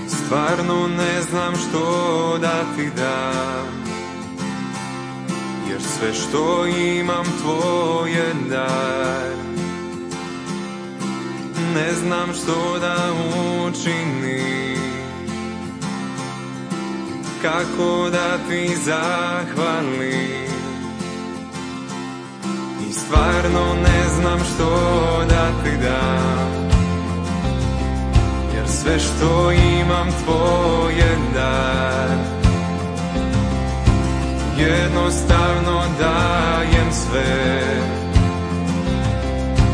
Stvarno ne znam što da ti dam, jer sve što imam tvoje dar. Ne znam što da učinim, kako da ti zahvalim. I stvarno ne znam što da ti dam, jer sve što imam tvoje dar. Jednostavno dajem sve,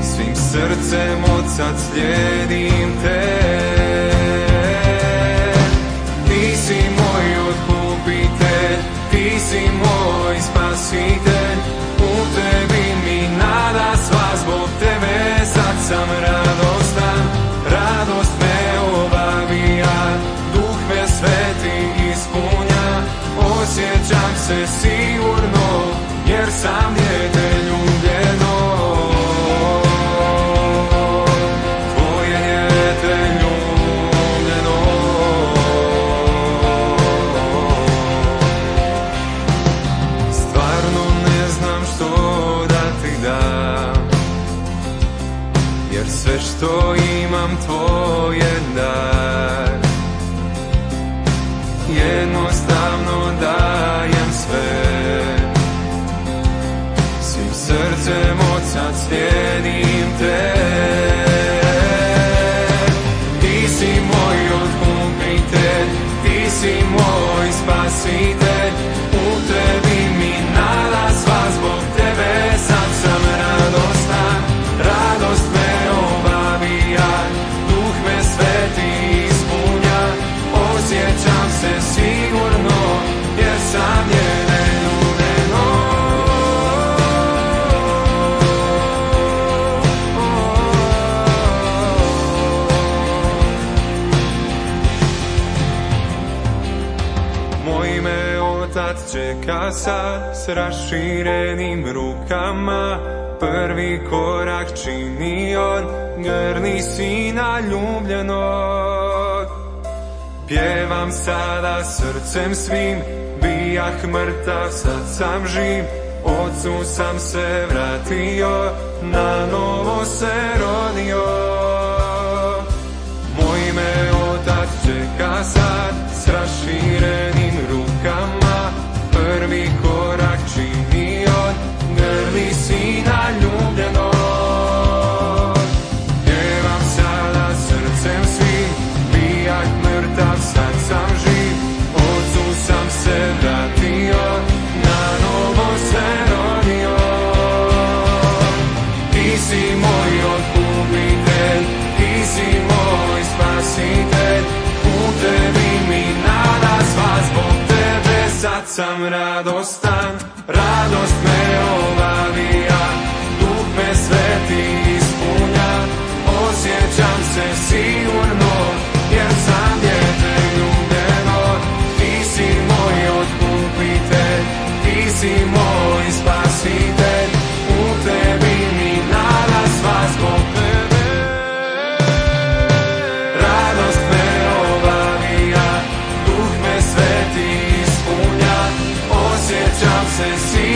svim srcem od sad slijedim te. Ti si moj otkupitelj, ti si moj spasitelj, u tebi mi nada sva, zbog tebe sad sam radostan, radost me obavija, duh me sveti ispunja, osjećam se sigurno, jer sam dijete ljubljeno. Tvoje dijete ljubljeno. Stvarno ne znam što da ti dam, jer sve što imam tvoje dar. Jednostavno dajem sve, svim srcem od sad slijedim te. Ti si moj otkupitelj, ti si moj spasitelj, u tebi mi nada sva, zbog tebe sad sam radostan, radost me obavija, duh me sveti ispunja, osjećam se sigurno, jer sam njene ljubljeno. Moj me otac čeka sad s raširenim rukama, prvi korak čini on, grni sina ljubljenog. Pjevam sada srcem svim, bijah mrtav, sad sam živ, Otcu sam se vratio, na novo se rodio. Moj me otac čeka sad s raširenim rukama, prvi korak čini on, grli sina ljubljenog. Pjevam sada srcem svim, bijah mrtav, sad sam živ, Otcu sam se vratio, na novo se rodio. Ti si moj otkupitelj, ti si moj spasitelj, u tebi mi nada sva, zbog tebe sad sam radostan, radost me obavlja. si moj spasitelj, u tebi mi nada sva zbog tebe. Radost me obavija, duh me sveti ispunja, osjećam se si